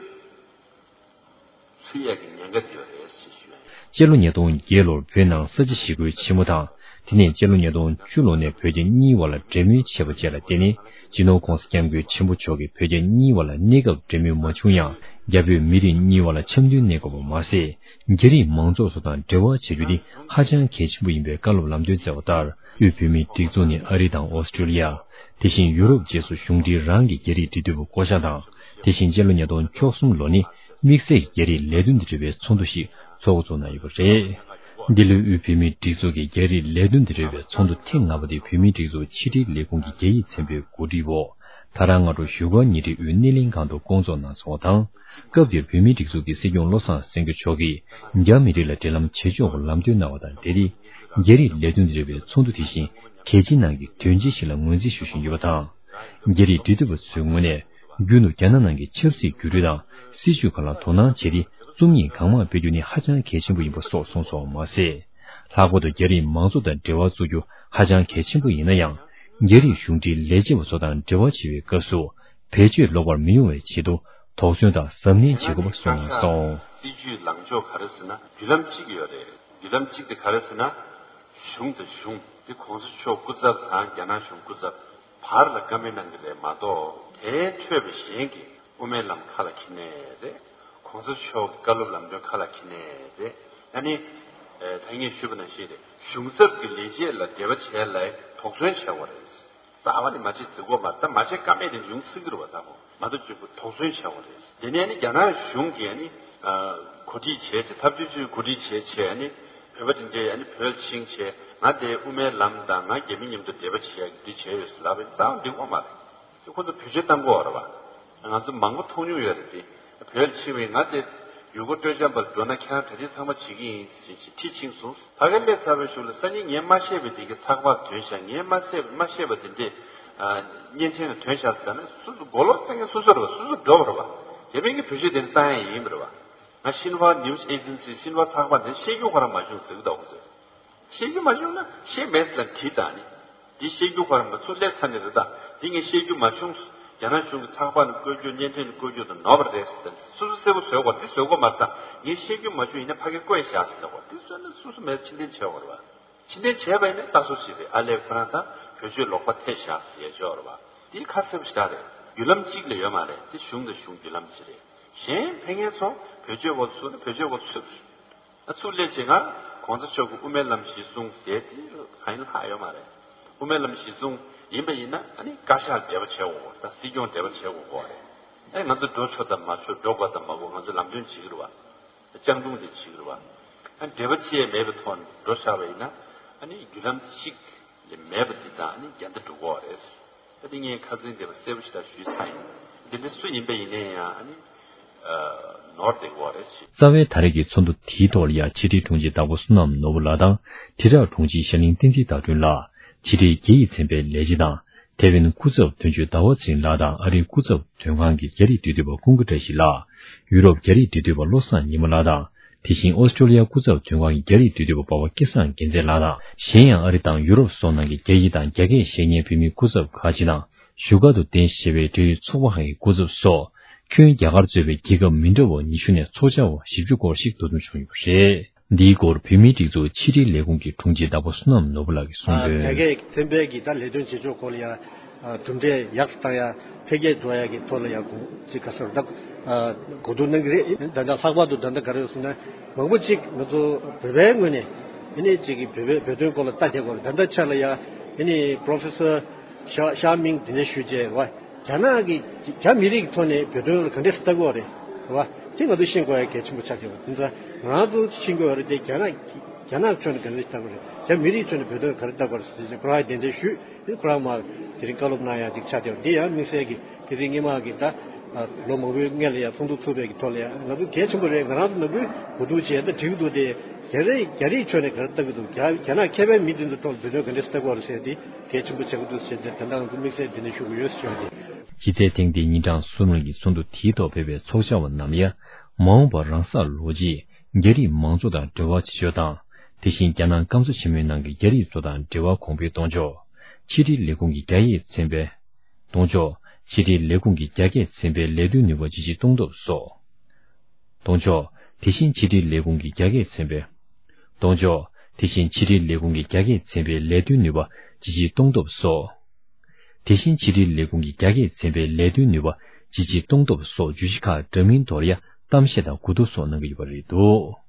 ཚུད་ཡག་གི་ཉེན་ཁ་དེ་ཡོད་རེད་ཞེས་ཞུ་ཡ་ཡིན། སྤྱི་ལོ་ཉིས་སྟོང་བརྒྱད་ལོར་བོད་ནང་ས་བྱི་ཞི་རྒོལ་ཆེན་མོ་དང་། དེ་ནས་སྤྱི་ལོ་ཉིས་སྟོང་བཅུ་ལོ་ནས་བོད་རྒྱ་གཉིས་བར་ལ་འབྲེལ་མོལ་བྱས་པ་བཅས་ལ་བརྟེན་ནས། སྤྱི་ནོར་༸གོང་ས་༸སྐྱབས་མགོན་ཆེན་པོ་མཆོག་གིས་བོད་རྒྱ་གཉིས་བར་ལ་གནས་སྐབས་འབྲེལ་མོལ་མ་བྱུང་ཡང་། རྒྱ་བོད་མི་རིགས་གཉིས་བར་ལ་འཆམ་མཐུན་གནས་དགོས་པ་མ་ཟད། རྒྱ་རིགས་མང་ཚོགས་ཚོ་དང་འབྲེལ་བ་བྱ་རྒྱུ་ནི་ཧ་ཅང་གལ་ཆེན་པོ་ཡིན་པའི་བཀའ་སློབ་ལམ་སྟོན་སྩལ་བ་ལྟར། དབུས་བོད་མིའི་སྒྲིག་འཛུགས་ནི་ཨ་རི་དང་ཨོ་སི་ཀྲི་ལི་ཡ། དེ་བཞིན་ཡུ་རོབ་བཅས་སུ་གཞུང་འབྲེལ་རང་གི་རྒྱ་རིགས་འབྲེལ་མཐུད་པ་བསྐོ་གཞག་དང་། དེ་བཞིན་སྤྱི་ལོ་ཉིས་སྟོང་བཅུ་གསུམ་ལོ་ནི་དམིགས་བསལ་རྒྱ་རིགས་ལས་དོན་དང་འབྲེལ་བའི་ཚོགས་འདུ་ཞིག་ཚོགས་འགོ་བཙུགས་གནང་ཡོད་པ་རེད། འདི་ལོའི་དབུས་བོད་མིའི་སྒྲིག་འཛུགས་ཀྱི་རྒྱ་རིགས་ལས་དོན་དང་འབྲེལ་བའི་ཚོགས་འདུ་ཐེངས་ལྔ་པ་དེ་བོད་མིའི་སྒྲིག་འཛུགས་ཕྱི་དྲིལ་ལས་ཁུངས་ཀྱི་རྒྱ་ཡིག་ཚན་པའི་གོ་སྒྲིག་འོག་ད་རང་སྔ་དྲོ་བཞུགས་སྒར་ཉེ་འཁྲིས་དབུས་སྣེ་ལེན་ཁང་དུ་བསྐོང་ཚོགས་གནང་སོང་བ་དང་། སྐབས་དེར་བོད་མིའི་སྒྲིག་འཛུགས་ཀྱི་སྲིད་སྐྱོང་བློ་བཟང་སེང་གེ་མཆོག་གིས་རྒྱ་མི་རིགས་ལ་འབྲེལ་ལམ་བྱེད་ཕྱོགས་སྐོར་ལམ་སྟོན་གནང་བ་དང་འབྲེལ་ཏེ། རྒྱ་རིགས་ལས་དོན་དང་འབྲེལ་བའི་ཚོགས་འདུ་དེ་བཞིན་གལ་ཆེ་ནང་གི་དོན་ཆེན་ཞིག་ལ་ངོས་འཛིན་ཞུ་བཞིན་ཡོད་པ་དང་། རྒྱ་རིགས་འབྲེལ་མཐུད་པ་ཚོའི་ངོས་ནས་རྒྱུན་དུ་རྒྱ་ནག་ནང་གི་ཆབ་སྲིད་འགྱུར་འགྲོས་དང་སྲིད་བྱུས་ཁག་ལ་དོ་སྣང་བྱས་ཏེ། རྩོམ་ཡིག་གང་མང་སྤེལ་རྒྱུ་ནི་ཧ་ཅང་གལ་ཆེན་པོ་ཡིན་པ་སོགས་གསུངས་སོང་བ་མ་ཟད། ལྷག་པར་དུ་རྒྱ་རིགས་མང་ཚོགས་དང་འབྲེལ་བ་བཙུགས་རྒྱུ་ཧ་ཅང་གལ་ཆེན་པོ་ཡིན་ན་ཡང་། རྒྱ་རིགས་གཞུང་འབྲེལ་ལས་བྱེད་པ་ཚོ་དང་འབྲེལ་བ་བྱེད་པའི་སྐབས་སུ། བེད་སྤྱོད་ལོག་པར་མི་ཡོང་བའི་ཆེད་དུ་དོགས་ཟོན་དང་གཟབ་ནན་བྱེད་དགོས་པ་གསུངས་གནང་སོང་། སྲིད་བྱུས་ལངས་ཕྱོགས་ག་རེ་ཟེར་ན་བརྒྱུད་ལམ་གཅིག་ཡོད་རེད། བརྒྱུད་ལམ་གཅིག་དེ་ག་རེ་ཟེར་ན། གཞུང་དང་གཞུང་དེ་གོང་ས་མཆོག་སྐུ་ཚབ་དང་རྒྱ་ནག་གཞུང་སྐུ་ཚབ་བར་ལ་བཀའ་མོལ་གནང་གི་རེད་མ་གཏོགས། དེའི་འཕྲོས་པའི་གཞན་གྱི་དབུ་མའི་ལམ་ཁ་ལ་འཁྱེར་ནས་རེད། གོང་ས་མཆོག་གི་བཀའ་སློབ་ལམ་སྟོན་ཁ་ལ་འཁྱེར་ནས་རེད། ཨ་ནི། ཨེ། ད་ངས་ཞུས་པ་ནང་བཞིན་རེད། གཞུང་ཚབ་ཀྱི་ལས་བྱེད་ལ་འབྲེལ་བ་བྱས་ལ་དོགས་ཟོན་བྱས་པ་རེད། རྩ་བ་ནས་མ་བྱེད་ཟེར་གོ་མ་རེད། ད་མ་བྱེད་ཀ་མེད་དེ་ཡོང་སྲིད་ཀྱི་རེད་བ། ད་གོ་མ་གཏོགས་གཅིག་པུ་དོགས་ཟོན་བྱས་པ་རེད། དེ་ནས་ནི་རྒྱ་ནག་གཞུང་གིས་ནི་གོ་སྒྲིག་བྱས་ཚེ། ཐབས་ཇུས་ཚོས་གོ་སྒྲིག་བྱས་བྱས་ནི་བོད་པ་དེ་འདྲས་ནི་བོད་ལ་ཕྱིན་བྱས། ང་དེ་དབུ་མའི་ལམ་དང་ང་རྒྱ་མི་མཉམ་དུ་འབྲེལ་བ་བྱེད་ཡག་འདི་བྱས་ཡོད་ཟེར་ལབ་པ་རྩ་བ་འགྲིག་པ་མ་རེད། དེ་ཁོ་ཚོ་བེད་སྤྱོད་བཏང་གི་ཡོད་རེད་བ། ང་ཚོ་མང་པོ་མཐོང་མྱོང་ཡོད་རེད་དེ། བོད་ལ་ཕྱིན་པའི་ང་དེ་ཡུལ་སྐོར་སྤྲོ་འཆམ་པར་འགྲོ་ན་ཁྱེད་རང་གྲ་སྒྲིག་ཚང་མ་བྱེད་ཀྱི་ཡིན་ཟེར་བྱས་ཁྲིད་ཕྱིན་སོང་། ཕ་གིར་སླེབས་ཚར་བའི་གཞུག་ལ་སང་ཉིན་ངས་མ་ཤེས་པའི་དེ་གའི་ཚགས་པར་ཐོན་ཤག་ངས་མ་ཤེས་མ་ཤེས་པ་དེ་འདྲས། ཨ། བརྙན་འཕྲིན་ལ་ཐོན་ཤག་ཟེར་ན་སོ་སོ་མགོ་ལོག་བཙན་མཁན་སོ་སོ་རེད་བ། སོ་སོ་འགྲོ་བ་རེད་བ། དེ་མིན་གྱི་བེད་སྤྱོད་དེ་འདྲ་བཏང་ཡ་ཡིན་པ་རེད་བ། ང་ཤིན་ཧྭ་ནིའུ་སི་ཨེ་ཇེན་སི་ཤིན་ཧྭ་ཚགས་པར་དེ་བཤད་རྒྱུ་ཁོ་རང་མ་བྱུང་ཟེར་གི་འདུག་ཁོ་ཚོས། བཤད་རྒྱུ་མ་བྱུང་ན་བཤད་མེད་ཟེར་ལ་བྲིས་དང་ནི། འདི་བཤད་རྒྱུ་ཁོ་རང་མ་ཚུར་སླེབས་ཚར་ནི་རེད་ད། འདི་ངས་བཤད་རྒྱུ་མ་བྱུང་། རྒྱ་ནག་གཞུང་གི་ཚགས་པར་ནས་བཀོད་རྒྱུ་བརྙན་འཕྲིན་ནས་བཀོད་རྒྱུ་དང་ནོར་བ་རེད་ཟེར་ཏེ་སོ་སོ་གསལ་པོ་བཟོས་དགོས། འདི་བཟོས་དགོས་མ་རེད་ད། ངས་བཤད་རྒྱུ་མ་བྱུང་ཡིན་ན་ཕ་གིར་བཀོད་བཞག་ཟེར་ལབ་དགོས། འདི་བཟོས་ན་སོ་སོ་མེད་ཕྱིར་འཐེན་བྱས་དགོས་རེད་བ། ཕྱིར་འཐེན་བྱས་པ་ཡིན་ན་ལྟ་སོ་ཅིག་རེད། ཨ་ལས་ཁོ་རང་ད་བེད་སྤྱོད་ལོག་པ་ཐེབས་བཞག་ཟེར་ཡ་ཅིག་ཡོད་རེད་བ། འདི་ཁ་གསལ་པོ་ཞེ་དྲག་རེད། བརྒྱུད་ལམ་གཅིག་ལས་ཡོད་མ་རེད། འདི་གཞུང་དང་གཞུང་བརྒྱུད་ལམ་གཅིག་རེད། གཞན་ཕན་མཁན་ཚོ་བེད་སྤྱོད་སྒོ་ཚུགས་ན་བེད་སྤྱོད་སྒོ་ཚུགས། ཨ། ཚུར་སླེབས་བྱས་ང་གོང་ས་མཆོག་གི་དབུ་མའི་ལམ་གཞི་བཟུང་ཟེར་དེ་གང་ཡིན་ལྷག་ཡོད་མ་རེད། དབུ་མའི་ལམ་གཞི་བཟུང་ཡིན་པ་ཡིན་ན་ཨ་ནི་བཀའ་ཤག་འབྲེལ་བ་བྱེད་དགོས་དང་སྲིད་སྐྱོང་འབྲེལ་བ་བྱེད་དགོས་ཀྱི་རེད། ཨ། ང་ཚོ་འགྲོ་ཆོག་དང་མ་ཆོག་འགྲོ་དགོས་དང་མ་དགོས་ང་ཚོ་ལམ་སྟོན་བྱེད་ཀྱི་རེད་བ། སྤྱང་གྲུང་དེ་བྱེད་ཀྱི་རེད་བ། ཨ། འབྲེལ་བ་བྱེད་ཡས་མེད་པའི་ཐོག་ནས་འགྲོ་བཞག་པ་ཡིན་ན་ཨ་ནི་བརྒྱུད་ལམ་གཅིག་ལས་མེད་པ་འདི་དང་ཨ་ནི་འགལ་ཟླ་འགྲོ་གི་རེད། ད་དེ་ངས་ཁ་སང་དེ་བ་གསལ་པོ་ཞིག་ད་ཞུས་ཚར་ཡིན། དེ་འདྲ་སུ་ཡིན་པ་ཡིན་ནའི་ཡང་ཨ་ནི། ཨ། ནོར་བསྡད་ཀྱི་རེད་ཞེས། རྩ་བའི་ད་རེས་ཀྱི་ཚོགས་འདུ་དེའི་ཐོག་ལ་ཡང་ཕྱི་དྲིལ་དྲུང་ཆེ་དྭགས་པོ་བསོད་ནམས་ནོར་བུ་ལགས་དང་། དྲིལ་བསྒྲགས་དྲུང་ཆེ་ཤར་གླིང་བསྟན་འཛིན་ཟླ་སྒྲོན་ལགས། ཕྱི་དྲིལ་རྒྱ་ཡིག་ཚན་པའི་ལས་བྱེད་དང་། ཐེ་ཝན་སྐུ་ཚབ་དོན་གཅོད་ཟླ་བ་ཚེ་རིང་ལགས་དང་། ཨ་རིའི་སྐུ་ཚབ་དོན་ཁང་གི་རྒྱ་རིགས་འབྲེལ་མཐུད་པ་ཀུན་དགའ་བཀྲ་ཤིས་ལགས། ཡུ་རོབ་རྒྱ་རིགས་འབྲེལ་མཐུད་པ་བློ་བཟང་ཉི་མ་ལགས་དང་། དེ་བཞིན་ཨོ་སི་ཀྲོ་ལི་ཡ་སྐུ་ཚབ་དོན་ཁང་གི་རྒྱ་རིགས་འབྲེལ་མཐུད་པ་འབའ་བ་སྐལ་བཟང་རྒྱལ་མཚན་ལགས་དང་། གཞན་ཡང་ཨ་རི་དང་ཡུ་རོབ་སོགས་ནང་གི་རྒྱ་ཡིག་དང་རྒྱ་སྐད་བཤད་མཁན་བོད་མིའི་སྐུ་ཚབ་ཁག་ཅིག་དང་བཞུགས་སྒར་དུ་རྟེན་གཞི་བྱས་པའི་འབྲེལ་ཡོད་ཚོགས་པ་ཁག་གི་སྐུ་ཚབ་སོགས། ཁྱོན་རྒྱ་གར་གཙོས་པའི་རྒྱལ་ཁབ་མི་འདྲ་བ་ཉི་ཤུ་ནས་ཚོགས་བཅར་བ་བཞི་བཅུ་སྐོར་ཞིག་འདུ་འཛོམས་བྱུང་ཡོད་པ་རེད། འདིའི་སྐོར་བོད་མིའི་སྒྲིག་འཛུགས་ཕྱི་དྲིལ་ལས་ཁུངས་ཀྱི་དྲུང་ཆེ་བདག་པོ་བསོད་ནམས་ནོར་བུ་ལགས་ཀྱིས་གསུངས་དོན། རྒྱ་སྐད་ཚན་པའི་གི་ད་ལས་དོན་བྱེད་ཕྱོགས་སྐོར་ལ་ཡང་གྲུབ་འབྲས་ཡག་ཏུ་བཏང་ཡ། འཕེལ་རྒྱས་འགྲོ་ཡ་གི་ཐོག་ལ་ཡང་གོ་ཅིག་ག་ཟེར་ད་གོ་བསྡུར་གནང་གི་རེད། ད་ལྟ་ལྷག་པར་དུ་ད་ལྟ་ག་རེ་ཡོད་ཟེར་ན། མང་པོ་ཅིག་ང་ཚོ་བོད་པའི་ངོས་ནས་ཨ་ནི་ཅིག་གི་བོད་པའི་བོད་དོན་སྐོར་ལ་ལྟ་བསྡད་ཡོད་རེད། ད་ལྟ་ཆ་ལ་ཡང་ཨ་ནི་པོ་རོ་ཕེ་སར་ཤ་ཤ་མིང་དེ་འདྲ་ཞུས་བྱས་རེད་བ། རྒྱ་ནག་གི་རྒྱ་མི་རིགས་ཀྱི་ཐོག་ནས་བོད་དོན་ལ་ག་འདྲས་ལྟ་གི་ཡོད་རེད་བ། དེ་ང་ཚོ་ཤེས་དགོས་ཡ་གལ་ཆེན་པོ་ཆགས་ཀྱི་ཡོད་རེད། དེ་ཚོ་ང་རང་ཚོ་ཤེས་དགོས་ཡ་རེད་དེ། རྒྱ་ནག་རྒྱ་ནག་ཕྱོགས་ནས་ག་འདྲས་ལྟ་གི་རེད། རྒྱ་མི་རིགས་ཕྱོགས་ནས་བོད་དོན་ག་རེ་ལྟ་གི་རེད་ཟེར་ཅིག་ཁོ་རང་གིས་གདན་འདྲེན་ཞུས། དེ་ཁོ་རང་མར་དེ་རིང་བཀའ་སློབ་གནང་ཡ་ཅིག་ཆགས་བསྡད་ཡོད་རེད། དེ་ཡང་དམིགས་བསལ་གྱི་དེ་རིང་སྔོན་མ་གི་ད་ལོ་མང་པོའི་སྔོན་ལ་ཡང་ཚོགས་འདུ་ཚུགས་པའི་གི་ཐོག་ལ་ཡང་ང་ཚོ་གལ་ཆེན་པོ་རེད། ང་རང་ཚོ་ནམ་རྒྱུན་གོ་བསྡུར་བྱས་ད་འགྲིག་འདུག་སྟེ། རྒྱ་རིགས་རྒྱ་རིགས་ཕྱོགས་ནས་ག་རེ་ལྟ་གི་འདུག་རྒྱ་རྒྱ་ནག་མཁས་པའི་མི་དེ་ཚོ་ཐོག་ལ་བོད་དོན་ག་འདྲས་ལྟ་གི་ཡོད་རེད་ཟེར་ཏེ། གལ་ཆེན་པོ་ཆགས་ཀྱི་འདུག་ཟེར་ཏེ་ད་ལྟ་ང་ཚོ་དམིགས་བསལ་འདི་ནས་ཞུ་དགོས་ཡོད་ཟེར་བ་དེ། གཞི་རྩའི་ཐེངས་འདིའི་ཉིན་གྲངས་གསུམ་རིང་གི་ཚོགས་འདུ་དེའི་ཐོག་ཕེབས་པའི་ཚོགས་བཅར་བ་རྣམས་ཡང་། མ་འོངས་པར་རང་སར་ལོག་རྗེས་རྒྱ་རིགས་མང་གཙོ་དང་འབྲེལ་བ་བྱེད་ཕྱོགས་དང་། དེ་བཞིན་རྒྱ་ནག་སྐམ་ས་ཆེན་མོའི་ནང་གི་རྒྱ་རིགས་ཚོ་དང་འབྲེལ་བ་གོང་འཕེལ་གཏོང་ཕྱོགས། ཕྱི་དྲིལ་ལས་ཁུངས་ཀྱི་རྒྱ་སྐད་ཚན་པའི་གཏོང་ཕྱོགས། ཕྱི་དྲིལ་ལས་ཁུངས་ཀྱི་རྒྱ་སྐད་ཚན་པའི་ལས་དོན་ནུས་པ་ཇི་ཆེ་གཏོང་ཐབས་སོགས། གཏོང་ཕྱོགས། དེ་བཞིན་ཕྱི་དྲིལ་ལས་ཁུངས་ཀྱི་རྒྱ་སྐད་ཚན་པའི། གཏོང་ཕྱོགས། དེ་བཞིན་ཕྱི་དྲིལ་ལས་ཁུངས་ཀྱི་རྒྱ་སྐད་ཚན་པའི་ལས་དོན་ནུས་པ་ཇི་ཆེ་གཏོང་ཐབས་སོགས། དེ་བཞིན་ཕྱི་དྲིལ་ལས་ཁུངས་ཀྱི་རྒྱ་སྐད་ཚན་པའི་ལས་དོན་ནུས་པ་ཇི་ཆེ་གཏོང་ཐབས་སོགས་བརྗོད་གཞི་ཁག་འདྲ་མིན་ཐོག་ལ་ཡང་གཏམ་བཤད་དང་གོ་བསྡུར་སོགས་གནང་གི་ཡོད་པ་རེད་འདུག་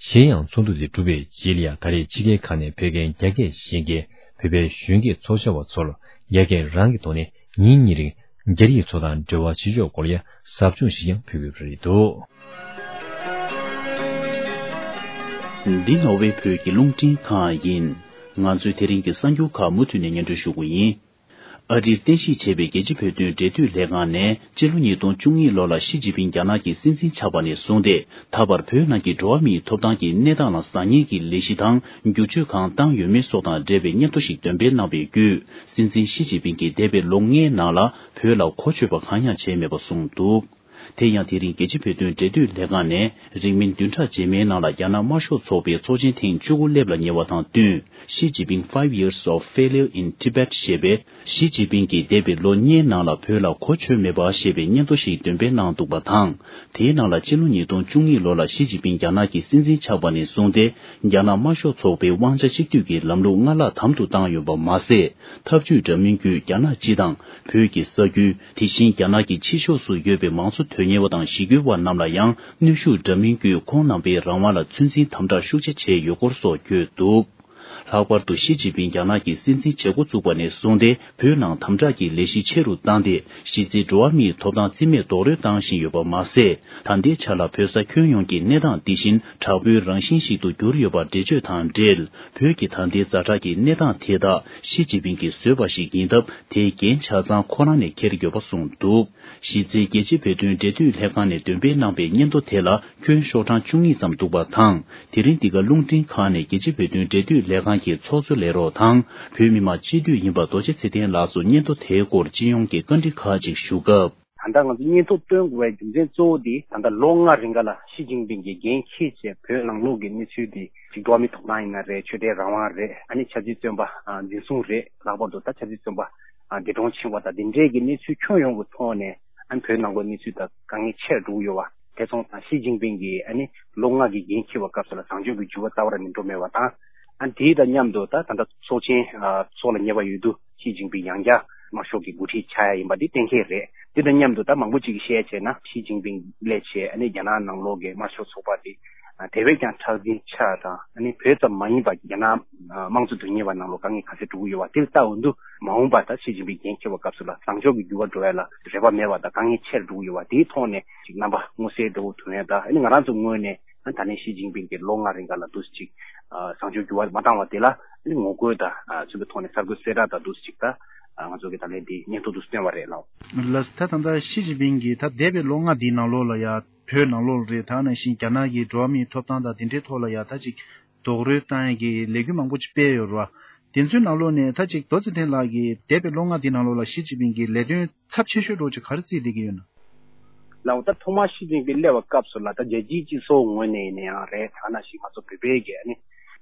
གཞན་ཡང་ཚོགས་འདུ་དེ་གྲུབ་པའི་རྗེས་ལ་ཡང་ད་རེས་ཕྱི་རྒྱལ་ཁག་ནས་བོད་སྐད་རྒྱ་སྐད་ཤེས་མཁན་བོད་པའི་གཞོན་སྐྱེས་ཚོགས་བཅར་བ་ཚོར་རྒྱ་སྐད་རང་གི་ཐོག་ནས་ཉིན་གཉིས་རིང་རྒྱ་རིགས་ཚོ་དང་འབྲེལ་བ་བྱེད་ཕྱོགས་སྐོར་ལ་ཡང་ཟབ་སྦྱོང་ཞིག་ཀྱང་ཕུལ་གྱི་ཡོད་པ་རེད་འདུག་འདི་ནོར་ཝེ་བོད་ཀྱི་རླུང་འཕྲིན་ཁང་ཡིན། ང་ཚོས་དེ་རིང་གི་གསར་འགྱུར་ཁག་མུ་མཐུད་ནས་སྙན་སྒྲོན་ཞུ་གི་ཡིན། ཨ་རིར་རྟེན་གཞི་བྱས་པའི་རྒྱལ་སྤྱིའི་བོད་དོན་འབྲེལ་མཐུད་ལྷན་ཁང་ནས་སྤྱི་ལོ་ཉིས་སྟོང་བཅུ་གཉིས་ལོ་ལ་ཞི་ཅིན་ཕིང་རྒྱ་ནག་གི་སྲིད་འཛིན་ཆགས་པ་ནས་བཟུང་སྟེ། ད་བར་བོད་ནང་གི་འགྲོ་བ་མིའི་ཐོབ་ཐང་གི་གནས་སྟངས་ལ་བཟང་ངན་གྱི་ལས་གཞི་དང་བསྒྱུར་བཅོས་གང་བཏང་ཡོད་མེད་སོགས་དང་འབྲེལ་བའི་སྙན་ཐོ་ཞིག་འདོན་སྤེལ་གནང་བའི་བརྒྱུད། སྲིད་འཛིན་ཞི་ཅིན་ཕིང་གིས་འདས་པའི་ལོ་ལྔའི་ནང་ལ་བོད་ལ་གོ་ཆོད་པ་གང་ཡང་བྱས་མེད་པ་གསུངས་འདུག་དེ་ཡང་དེ་རིང་རྒྱལ་སྤྱིའི་བོད་དོན་འབྲེལ་མཐུད་ལྷན་ཁང་ནས་རིང་མིན་བདུན་ཕྲག་རྗེས་མའི་ནང་ལ་རྒྱ་ནག་དམར་ཤོག་ཚོགས་པའི་ཚོགས་ཆེན་ཐེངས་བཅུ་དགུ་སླེབས་ལ་ཉེ་བ་དང་བསྟུན། Xi Jinping Five Years of Failure in Tibet ཞེས་པའི། ཞི་ཅིན་ཕིང་གིས་འདས་པའི་ལོ་ལྔའི་ནང་ལ་བོད་ལ་གོ་ཆོད་མེད་པ་ཞེས་པའི་སྙན་ཐོ་ཞིག་འདོན་སྤེལ་གནང་འདུག་པ་དང་། དེའི་ནང་ལ་སྤྱི་ལོ་ཉིས་སྟོང་བཅུ་གཉིས་ལོ་ལ་ཞི་ཅིན་ཕིང་རྒྱ་ནག་གི་སྲིད་འཛིན་ཆགས་པ་ནས་བཟུང་སྟེ། རྒྱ་ནག་དམར་ཤོག་ཚོགས་པའི་དབང་ཆ་གཅིག་སྡུད་ཀྱི་ལམ་ལུགས་སྔར་ལྷག་དམ་དུ་བཏང་ཡོད་པ་མ་ཟད། ཐབས་ཇུས་འདྲ་མིན་བརྒྱུད་རྒྱ་ནག་སྤྱི་དང་། བོད་ཀྱི་ས་ཁུལ། དེ་བཞིན་རྒྱ་ནག་གི་ཕྱི་ཕྱོགས་སུ་ཡོད་པའི་མང་གཙོ་དོན་གཉེར་བ་དང་གཞིས་སྐྱོང་བ་རྣམས་ལ་ཡང་གནོན་ཤུགས་འདྲ་མིན་བརྒྱུད་ཁོང་རྣམ་པའི་རང་དབང་ལ་ཚོད་འཛིན་དམ་དྲག་ཤུགས་ཆེ་བྱས་ཡོད་སྐོར་སོགས་བཀོད་འདུག་ལྷག་པར་དུ་ཞི་ཅིན་ཕིང་རྒྱ་ནག་གི་སྲིད་འཛིན་བྱེད་འགོ་བཙུགས་པ་ནས་བཟུང་སྟེ། བོད་ནང་དམ་དྲག་གི་ལས་གཞི་ཆེ་རུ་བཏང་སྟེ། གཞི་རྩའི་འགྲོ་བ་མིའི་ཐོབ་ཐང་རྩིས་མེད་རྡོག་རོལ་བཏང་བཞིན་ཡོད་པ་མ་ཟད། ད་ལྟའི་ཆ་ལ་བོད་ས་ཁྱོན་ཡོངས་ཀྱི་གནས་སྟངས་འདི་བཞིན་དྲག་པོའི་རང་བཞིན་ཞིག་ཏུ་གྱུར་ཡོད་པ་འགྲེལ་བརྗོད་དང་འབྲེལ། བོད་ཀྱི་ད་ལྟའི་ཛ་དྲག་གི་གནས་སྟངས་དེ་དག་ཞི་ཅིན་ཕིང་གིས་བཟོས་པ་ཞིག་ཡིན་སྟབས། དེའི་འགན་ཆ་ཚང་ཁོ་རང་ནས་འཁྱེར་ཡོད་པ་གསུངས་འདུག་གཞི་རྩའི་རྒྱལ་སྤྱིའི་བོད་དོན་འབྲེལ་མཐུད་ལྷན་ཁང་ནས་འདོན་སྤེལ་གནང་པའི་སྙན་ཐོ་དེ་ལ་ཁྱོན་ཤོག་གྲངས་བཅུ་གཉིས་ཙམ་འདུག་པ་དང་། དེ་རིང་འདི་ག་རླུང་འཕྲིན་ཁང་ནས་རྒྱལ་སྤྱིའི་བོད་དོན་འབྲེལ་མཐུད་ལས་ཁང་གི་ཚོགས་གཙོ་ལས་རོགས་དང་། བོད་མི་མང་སྤྱི་འཐུས་ཡིན་པ་རྡོ་རྗེ་ཚེ་བརྟན་ལགས་སུ་སྙན་ཐོ་དེའི་སྐོར་སྤྱི་ཡོངས་ཀྱི་བཀའ་འདྲི་ཁག་ཅིག་ཞུ་སྐབས། ད་ལྟ་ང་ཚོ་སྙན་ཐོ་བཏོན་དགོས་པའི་རྒྱུ་མཚན་གཙོ་བོ་དེ། ད་ལྟ་ལོ་ལྔ་རིང་ག་ལ་ཞི་ཅིན་ཕིང་གིས་འགན་འཁྱེར་བྱས། བོད་ནང་ལོགས་ཀྱི་གནས་ཚུལ་དེ་ཅིག་འགྲོ་བ་མིའི་ཐོབ་ཐང་ཡིན་ན་རེད། ཆོས་དད་རང་དབང་རེད། ཨ་ནི་ཆབ་སྲིད་བཙོན་པ་འཛིན་བཟུང་རེད། ལྷག་པར་དུ་ད་ཆབ་སྲིད་བཙོན་པ་འདས་གྲོངས་ཕྱིན་པ་དང་། འདི་འདྲའི་གི་གནས་ཚུལ་ཁྱོན་ཡོངས་ཀྱི་ཐོག་ནས། ཨ་ནི་བོད་ནང་ལོགས་གནས་ཚུལ་དང་དཀའ་ངལ་ཆེ་རུ་འགྲོ་གི་ཡོད་པ། དེ་སོང་ཙང་ཞི་ཅིན་ཕིང་གིས་ཨ་ནི་ལོ་ལྔ་གི་འགན་འཁྱེར་བའི་སྐབས་སུ་ལ་བཟང་ཕྱོགས་ཀྱི་འགྱུར་བ་རྩ་བ་རང་ནས་འགྲོ་མེད་པ་དང་། ཨ་ནི་དེ་དང་མཉམ་དུ་ད་ད་ལྟ་ཚོགས་ཆེན་ཚོགས་ལ་ཉེ་བ་ཡོད་དུས། ཞི་ཅིན་ཕིང་ཡང་བསྐྱར་དམར་ཤོག་གི་འགོ་ཁྲིད་ཆགས་ཡ་ཡིན་པ་འདི་གཏན་འཁེལ་རེད། དེ་དང་མཉམ་དུ་ད་མང་པོ་ཅིག་གིས་བཤད་བྱས་ན། ཞི་ཅིན་ཕིང་སླེབས་བྱས་ཨ་ནི་རྒྱ་ནག་ནང་ལོགས་ཀྱི་དམར་ཤོག་ཚོགས་པ་དེ་དེ་བས་ཀྱང་མཁྲེགས་འཛིན་ཆགས་དང་། ཨ་ནི་བོད་ཙམ་མ་ཡིན་པ་རྒྱ་ནག་དམངས་གཙོ་དོན་གཉེར་བ་ནང་ལོགས་དཀའ་ངལ་ག་ཚོད་འགྲོ་གི་ཡོད་པ་དེ་ལ་ལྟ་འོང་དུས། མ་འོངས་པ་ད་ཞི་ཅིན་ཕིང་འགན་འཁྱེར་བའི་སྐབས་སུ་ལ་བཟང་ཕྱོགས་ཀྱི་འགྱུར་བ་འགྲོ་ཡ་ལ་རེ་བ་མེད་པ་དང་། དཀའ་ངལ་ཆེ་རུ་འགྲོ་གི་ཡོད་པ་དེའི་ཐོག་ནས་ཅིག་རྣམ་པ་མངོན་གསལ་དོད་པོ་ཐོན་ཡ་དང་། ཨ་ནི་ང་རང་ཚོ་ངོས་ནས། ཨ་ད་ནི་ཞི་ཅིན་ཕིང་གིས་ལོ་ལྔ་རིང་ག་ལ་འདུག་སེ་ཅིག་ཨ་བཟང་ཕྱོགས་འགྱུར་བ་མ་བཏང་བ་དེ་ལ། ཨ་ནི་ངོ་རྒོལ་དང་། ཨ་མཚོན་པའི་ཐོག་ནས་གསར་འགོད་གསལ་བསྒྲགས་དང་འདུག་སེ་ཅིག་ད་ཨ་ང་ཚོ་གིས་ད་ལན་འདི་སྙན་ཐོ་འདུག་སེ་བཏོན་པ་རེད་ལགས། ལགས་སོ། ད་ད་ལྟ་ཞི་ཅིན་ཕིང་གིས་ད་འདས་པའི་ལོ་ལྔ་འདིའི་ནང་ལོགས་ལ་ཡ། བོད་ནང་ལོགས་ལ་རེད། ད་ནང་བཞིན་རྒྱ་ནག་གི་འགྲོ་བ་མིའི་ཐོབ་ཐང་དང་དེ་འདྲའི་ཐོག་ལ་ཡ་ད་ཅིག་རྡོག་རོལ་བཏང་ཡ་གི་ལས་འགུལ་མང་པོ་ཅིག་སྤེལ་ཡོད་རེད་བ། དེ་ཚོའི་ནང་ལོགས་ནས་ད་ཅིག་རྡོ་རྗེ་ཚེ་བརྟན་ལགས་ཀྱིས་འདས་པའི་ལོ་ལྔ་འདིའི་ནང་ལོགས་ལ་ཞི་ཅིན་ཕིང་གིས་ལས་དོན་ཚབས་ཆེ་ཤོས་འདྲ་བོ་ཅིག་ག་རེ་བརྩིས་བསྡད་ཀྱི་ཡོད་ན། ལའང་ད་ཐོག་མར་ཞི་ཅིན་ཕིང་སླེབས་པའི་སྐབས་སུ་ལ་ད་རྒྱལ་སྤྱིའི་སྤྱི་ཚོགས་ངོས་ནས་ཡིན་ན་ཡང་རེད། ད་ནང་བཞིན་ང་ཚོ་བོད་པའི་གི་ཨ་ནི་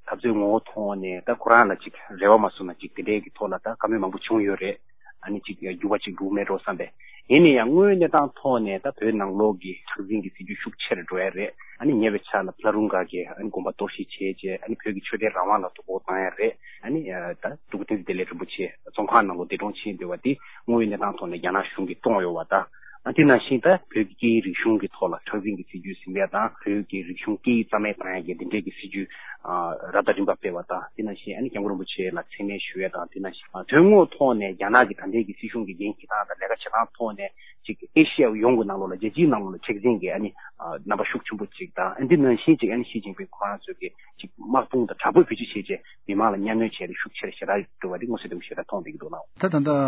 འཐབ་རྩོད་ངོ་བོ་ཐོག་ནས་ད་ཁོ་རང་ལ་ཅིག་རེ་བ་མ་བཟུང་ན་ཅིག་དེ་འདྲའི་གི་ཐོག་ལ་ད་བཀའ་མོལ་མང་པོ་བྱུང་ཡོད་རེད། ཨ་ནི་ཅིག་འགྱུར་བ་ཅིག་འགྲོ་མེད་འགྲོ་བསམ་པས། ཡིན་ན་ཡང་དངོས་ཡོད་གནས་སྟངས་ཐོག་ནས་ད་བོད་ནང་ལོགས་ཀྱི་མཁྲེགས་འཛིན་གྱི་སྲིད་ཇུས་ཤུགས་ཆེ་རུ་འགྲོ་ཡ་རེད། ཨ་ནི་ཉེ་བའི་ཆར་ལ་ཕ་ལ་རུང་ག་གི་ཨ་ནི་དགོངས་པ་གཏོར་བཤིག་བྱས་རྗེས་ཨ་ནི་བོད་ཀྱི་ཆོས་དད་རང་དབང་ལ་དོ་ཕོག་བཏང་ཡ་རེད། ཨ་ནི་ད་སྤྲུལ་སྐུ་བསྟན་འཛིན་བདེ་ལེགས་རིན་པོ་ཆེ་བཙོན་ཁང་ནང་ལོགས་འདས་གྲོངས་ཕྱིན་བསྡད་པ་དེ་དངོས་ཡོད་གནས་སྟངས་ཐོག་ནས་རྒྱ་ནག་གཞུང་གིས་བཏང་ཡོད་པ་དང་། ཨ་དེ་ནང་བཞིན་ད་བོད་ཀྱི་སྐད་ཡིག་རིག་གཞུང་གི་ཐོག་ལ་མཁྲེགས་འཛིན་གྱི་སྲིད་ཇུས་ཟིན་པ་དང་བོད་ཀྱི་རིག་གཞུང་སྐད་ཡིག་རྩ་མེད་བཏང་ཡ་གི་འདི་འདྲའི་གི་སྲིད་ཇུས་ཨ་རབ་དང་རིམ་པ་སྤེལ་བ་དང་། དེ་ནང་བཞིན་ཨ་ནི་སྐྱབས་མགོན་རིན་པོ་ཆེ་ལ་མཚན་སྨད་ཞུ་ཡ་དང་། དེ་ནང་བཞིན་ཨ་དོན་དངོས་ཐོག་ནས་རྒྱ་ནག་གི་ད་ལྟའི་གི་སྲིད་གཞུང་གི་འགན་འཁྱེར་སྟངས་དང་ལས་ཀ་བྱེད་སྟངས་ཐོག་ནས་ཅིག་ཨེ་ཤི་ཡ་ཡོངས་ཀྱི་ནང་ལོགས་ལ་རྒྱལ་སྤྱིའི་ནང་ལོགས་ལ་མཁྲེགས་འཛིན་གྱི་ཨ་ནི་ཨ་རྣམ་པ་ཤུགས་ཆེན་པོ་ཅིག་དང་། ཨ་འདི་ནང་བཞིན་ཅིག་ཨ་ནི་ཞི་ཅིན་ཕིང་ཁོ་རང་ཚོས་གི་ཅིག་དམག་དཔུང་དང་དྲག་པོའི་བེད་སྤྱོད་བྱས་རྗེས་མི་མང་ལ་གཉའ་གནོན་བྱས་ཏེ་ཤུགས་ཆེར་ཞེ་དྲག་འགྲོ་བ་འདི་མངོན་གསལ་དོད་པོ་ཞེ་དྲག་མཐོང་བསྡད་ཀྱི་འདུག་ལགས། ད་ད་ལྟ་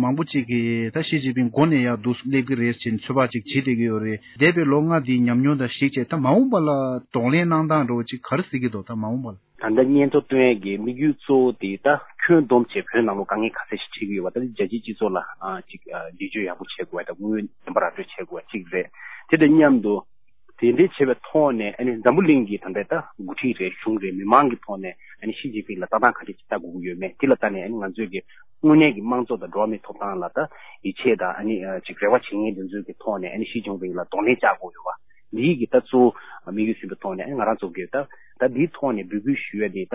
མང་པོ་ཅིག་གིས་ད་ཞི་ཅིན་ཕིང་མགོ་ནས་ཡར་འདུག་སླེབས་ཀྱི་རེད་ཅེས་ཚོད་དཔག་ཅིག་བྱེད་བསྡད་ཀྱི་ཡོད་རེད། འདས་པའི་ལོ་ལྔ་འདིའི་ཉམས་མྱོང་དང་གཞིགས་བྱས་ད་མ་འོངས་པ་ལ་གདོང་ལེན་གནང་སྟངས་འདྲ་བོ་ཅིག་ག་རེ་གཟིགས་ཀྱི་འདུག་ད་མ་འོངས་པ་ལ། ད་ལྟ་སྙན་ཐོ་བཏོན་ཡས་ཀྱི་དམིགས་ཡུལ་གཙོ་བོ་དེ་ད་ཁྱོན་བསྡོམས་བྱས་བོད་ནང་ལོགས་དཀའ་ངལ་ག་ཚད་ཞིག་འཕྲད་ཀྱི་ཡོད་པ། ད་རྒྱལ་སྤྱིའི་སྤྱི་ཚོགས་ལ་ཨ་ཅིག་ཨ་འགྲེལ་བརྗོད་ཡག་པོ་བྱེད་དགོས་པ་དང་དངོས་ཡོད་བདེན་པ་ར་སྤྲོད་བྱེད་དགོས་པ་གཅིག་རེད། དེ་དང་མཉམ་དུ། དེ་འདྲའི་བྱེད་པའི་ཐོག་ནས་ཨ་ནི་འཛམ་བུ་གླིང་གི་ད་ལྟའི་ད་འགོ་ཁྲིད་རེད། གཞུང་རེད། མི་མང་གི་ཐོག་ནས་ཨ་ནི་ཞི་ཅིན་ཕིང་ལ་ལྟ་སྟངས་ག་འདྲ་ཅིག་ལྟ་དགོས་ཀྱི་ཡོད་མེད་དེ་ལ་ལྟ་ནས་ཨ་ནི་ང་ཚོས་ཀྱི་དངོས་གནས་ཀྱི་དམངས་གཙོ་དང་འགྲོ་བ་མིའི་ཐོབ་ཐང་ལ་ད་ཡིད་ཆེས་དང་ཨ་ནི་ཅིག་རེ་བ་བྱེད་མཁན་དེ་ཚོའི་གི་ཐོག་ནས་ཨ་ནི་ཞི་ཅིན་ཕིང་ལ་གདོང་ལེན་བྱ་དགོས་ཡོད་པ། འདིའི་གི་ད་གཙོ་བོ་དམིགས་ཡུལ་ཟིན་པའི་ཐོག་ནས་ཨ་ནི་ང་རང་ཚོ་གི་ད་ད་འདིའི་ཐོག་ནས་འབོད་སྐུལ་ཞུ་ཡ་དེ་ད་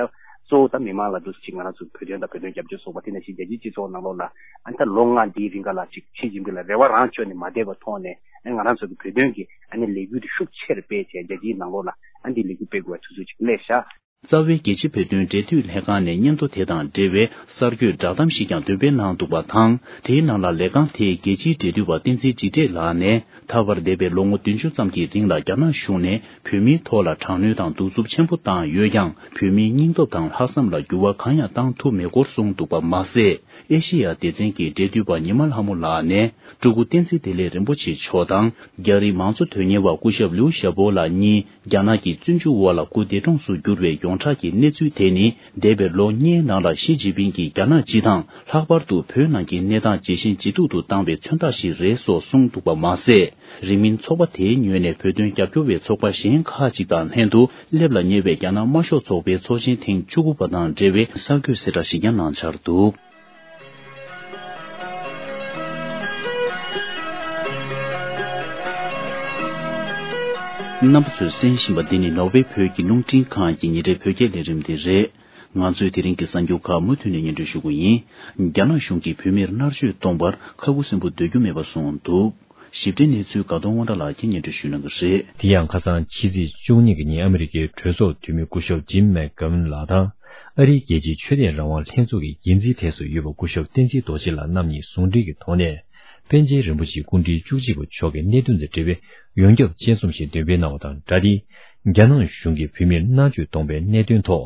གཙོ་བོ་ད་མི་མང་ལ་འདུག་ཅིག་ང་རང་ཚོ་བོད་དོན་དང་བོད་དོན་རྒྱབ་སྐྱོར་ཚོགས་པ་དེ་ནང་བཞིན་རྒྱལ་སྤྱིའི་སྤྱི་ཚོགས་ནང་ལོགས་ལ་ཨ་ནི་ད་ལོ་ལྔ་འདིའི་རིང་ག་ལ་ཅིག་ཞི་ཅིན་ཕིང་ལ་རེ་བ་རང་བཅོལ་ནས་མ་བསྡད་པའི་ཐོག་ནས། ཨ་ང་རང་ཚོ་གི་བོད་དོན་གྱི་ཨ་ནི་ལས་འགུལ་དེ་ཤུགས་ཆེར་སྤེལ་བྱས་རྒྱལ་སྤྱིའི་ནང་ལོགས་ལ་ཨ་འདི་ལས་འགུལ་སྤེལ་དགོས་པའི་ཚུལ་ཚུལ་ཅིག་སླེབས་ཤག། རྩ་བའི་རྒྱལ་སྤྱིའི་བོད་དོན་འབྲེལ་མཐུད་ལྷན་ཁང་ནས་སྙན་ཐོ་དེ་དང་འབྲེལ་བའི་གསར་འགོད་བསྒྲགས་གཏམ་ཞིག་ཀྱང་འདོན་སྤེལ་གནང་འདུག་པ་དང་། དེའི་ནང་ལ་ལས་ཁང་དེའི་རྒྱལ་སྤྱིའི་འབྲེལ་མཐུད་པ་བསྟན་འཛིན་འཇིགས་བྲལ་ལགས་ནས། ད་བར་འདས་པའི་ལོ་ངོ་བདུན་ཅུ་ཙམ་གྱི་རིང་ལ་རྒྱ་ནག་གཞུང་ནས་བོད་མིའི་ཐོག་ལ་དྲག་གནོན་དང་གདུག་རྩུབ་ཆེན་པོ་བཏང་ཡོད་ཀྱང་། བོད་མིའི་སྙིང་སྟོབས་དང་ལྷག་བསམ་ལ་འགྱུར་བ་གང་ཡང་བཏང་ཐུབ་མེད་སྐོར་གསུངས་འདུག་པ་མ་ཟད། ཨེ་ཤེ་ཡ་སྡེ་ཚན་གྱི་འབྲེལ་མཐུད་པ་ཉི་མ་ལྷ་མོ་ལགས་ནས། སྤྲུལ་སྐུ་བསྟན་འཛིན་བདེ་ལེགས་རིན་པོ་ཆེ་མཆོག་དང་། རྒྱ་རིགས་མང་གཙོ་དོན་གཉེར་བ་སྐུ་ཞབས་ལིའུ་ཞའོ་པོ་ལགས་གཉིས་རྒྱ་ནག་གི་བཙོན་འཇུག་འོག་ལ་སྐུ་འདས་གྲོངས་སུ་གྱུར་བའི་ཡོངས་གྲགས་ཀྱི་གནས་ཚུལ་དེ་ནི། འདས་པའི་ལོ་ལྔའི་ནང་ལ་ཞི་ཅིན་ཕིང་གིས་རྒྱ་ནག་སྤྱི་དང་། ལྷག་པར་དུ་བོད་ནང་གི་གནས་སྟངས་ཇེ་ཞན་ཇེ་སྡུག་ཏུ་བཏང་བའི་མཚོན་རྟགས་ཤིག་རེད་སོགས་གསུངས་འདུག་པ་མ་ཟད། རིང་མིན་ཚོགས་པ་དེའི་ངོས་ནས་བོད་དོན་རྒྱབ་སྐྱོར་བའི་ཚོགས་པ་གཞན་ཁག་ཅིག་དང་ལྷན་དུ་སླེབས་ལ་ཉེ་བའི་རྒྱ་ནག་དམར་ཤོག་ཚོགས་པའི་ཚོགས་ཆེན་ཐེངས་བཅུ་དགུ་པ་དང་འབྲེལ་བའི་གསར་འགོད་གསལ་བསྒྲགས་ཤིག་ཀྱང་གནང་འཆར་འདུག། རྣམ་པ་ཚོས་གསན་བཞིན་པ་འདི་ནི་ནོར་ཝེ་བོད་ཀྱི་རླུང་འཕྲིན་ཁང་གི་ཉིན་རེའི་བོད་སྐད་ལས་རིམ་དེ་རེད། ང་ཚོས་དེ་རིང་གི་གསར་འགྱུར་ཁག་མུ་མཐུད་ནས་སྙན་སྒྲོན་ཞུ་གི་ཡིན། རྒྱ་ནག་གཞུང་གིས་བོད་མིར་མནར་གཅོད་གཏོང་བར་ཁ་ཁུ་སིམ་པོ་སྡོད་རྒྱུ་མེད་པ་གསུངས་འདུག། ཞིབ་ཕྲའི་གནས་ཚུལ་དགའ་གདོང་དབང་གྲགས་ལགས་ཀྱིས་སྙན་སྒྲོན་ཞུ་གནང་གི་རེད། དེ་ཡང་ཁ་སང་ཕྱི་ཚེས་བཅུ་གཉིས་ཀྱི་ཉིན་ཨ་མི་རི་ཀའི་གྲོས་ཚོགས་འཐུས་མི་སྐུ་ཞབས་ཇིམ་མེག་གྷ་ཝན་ལགས་དང་། ཨ་རིའི་རྒྱལ་སྤྱིའི་ཆོས་དད་རང་དབང་ལྷན་ཚོགས་ཀྱི་འགན་འཛིན་གྲས་སུ་ཡོད་པ་སྐུ་ཞབས་བསྟན་འཛིན་རྡོ་རྗེ་ལགས་རྣམ་གཉིས་ཟུང་འབྲེལ་གྱི་ཐོག་ནས། པཎ་ཆེན་རིན་པོ་ཆེའི་སྐུ་ཕྲེང་བཅུ་གཅིག་པ་མཆོག་གི་གནད་དོན་དང་འབྲེལ་བའི་ཡོངས་ཁྱབ་དཔྱད་རྩོམ་ཞིག་འདོན་སྤེལ་གནང་བ་དང་སྦྲགས་ཏེ། རྒྱ་ནག་གཞུང་གིས་བོད་མིར་མནར་གཅོད་གཏོང་པའི་གནད་དོན་ཐོག་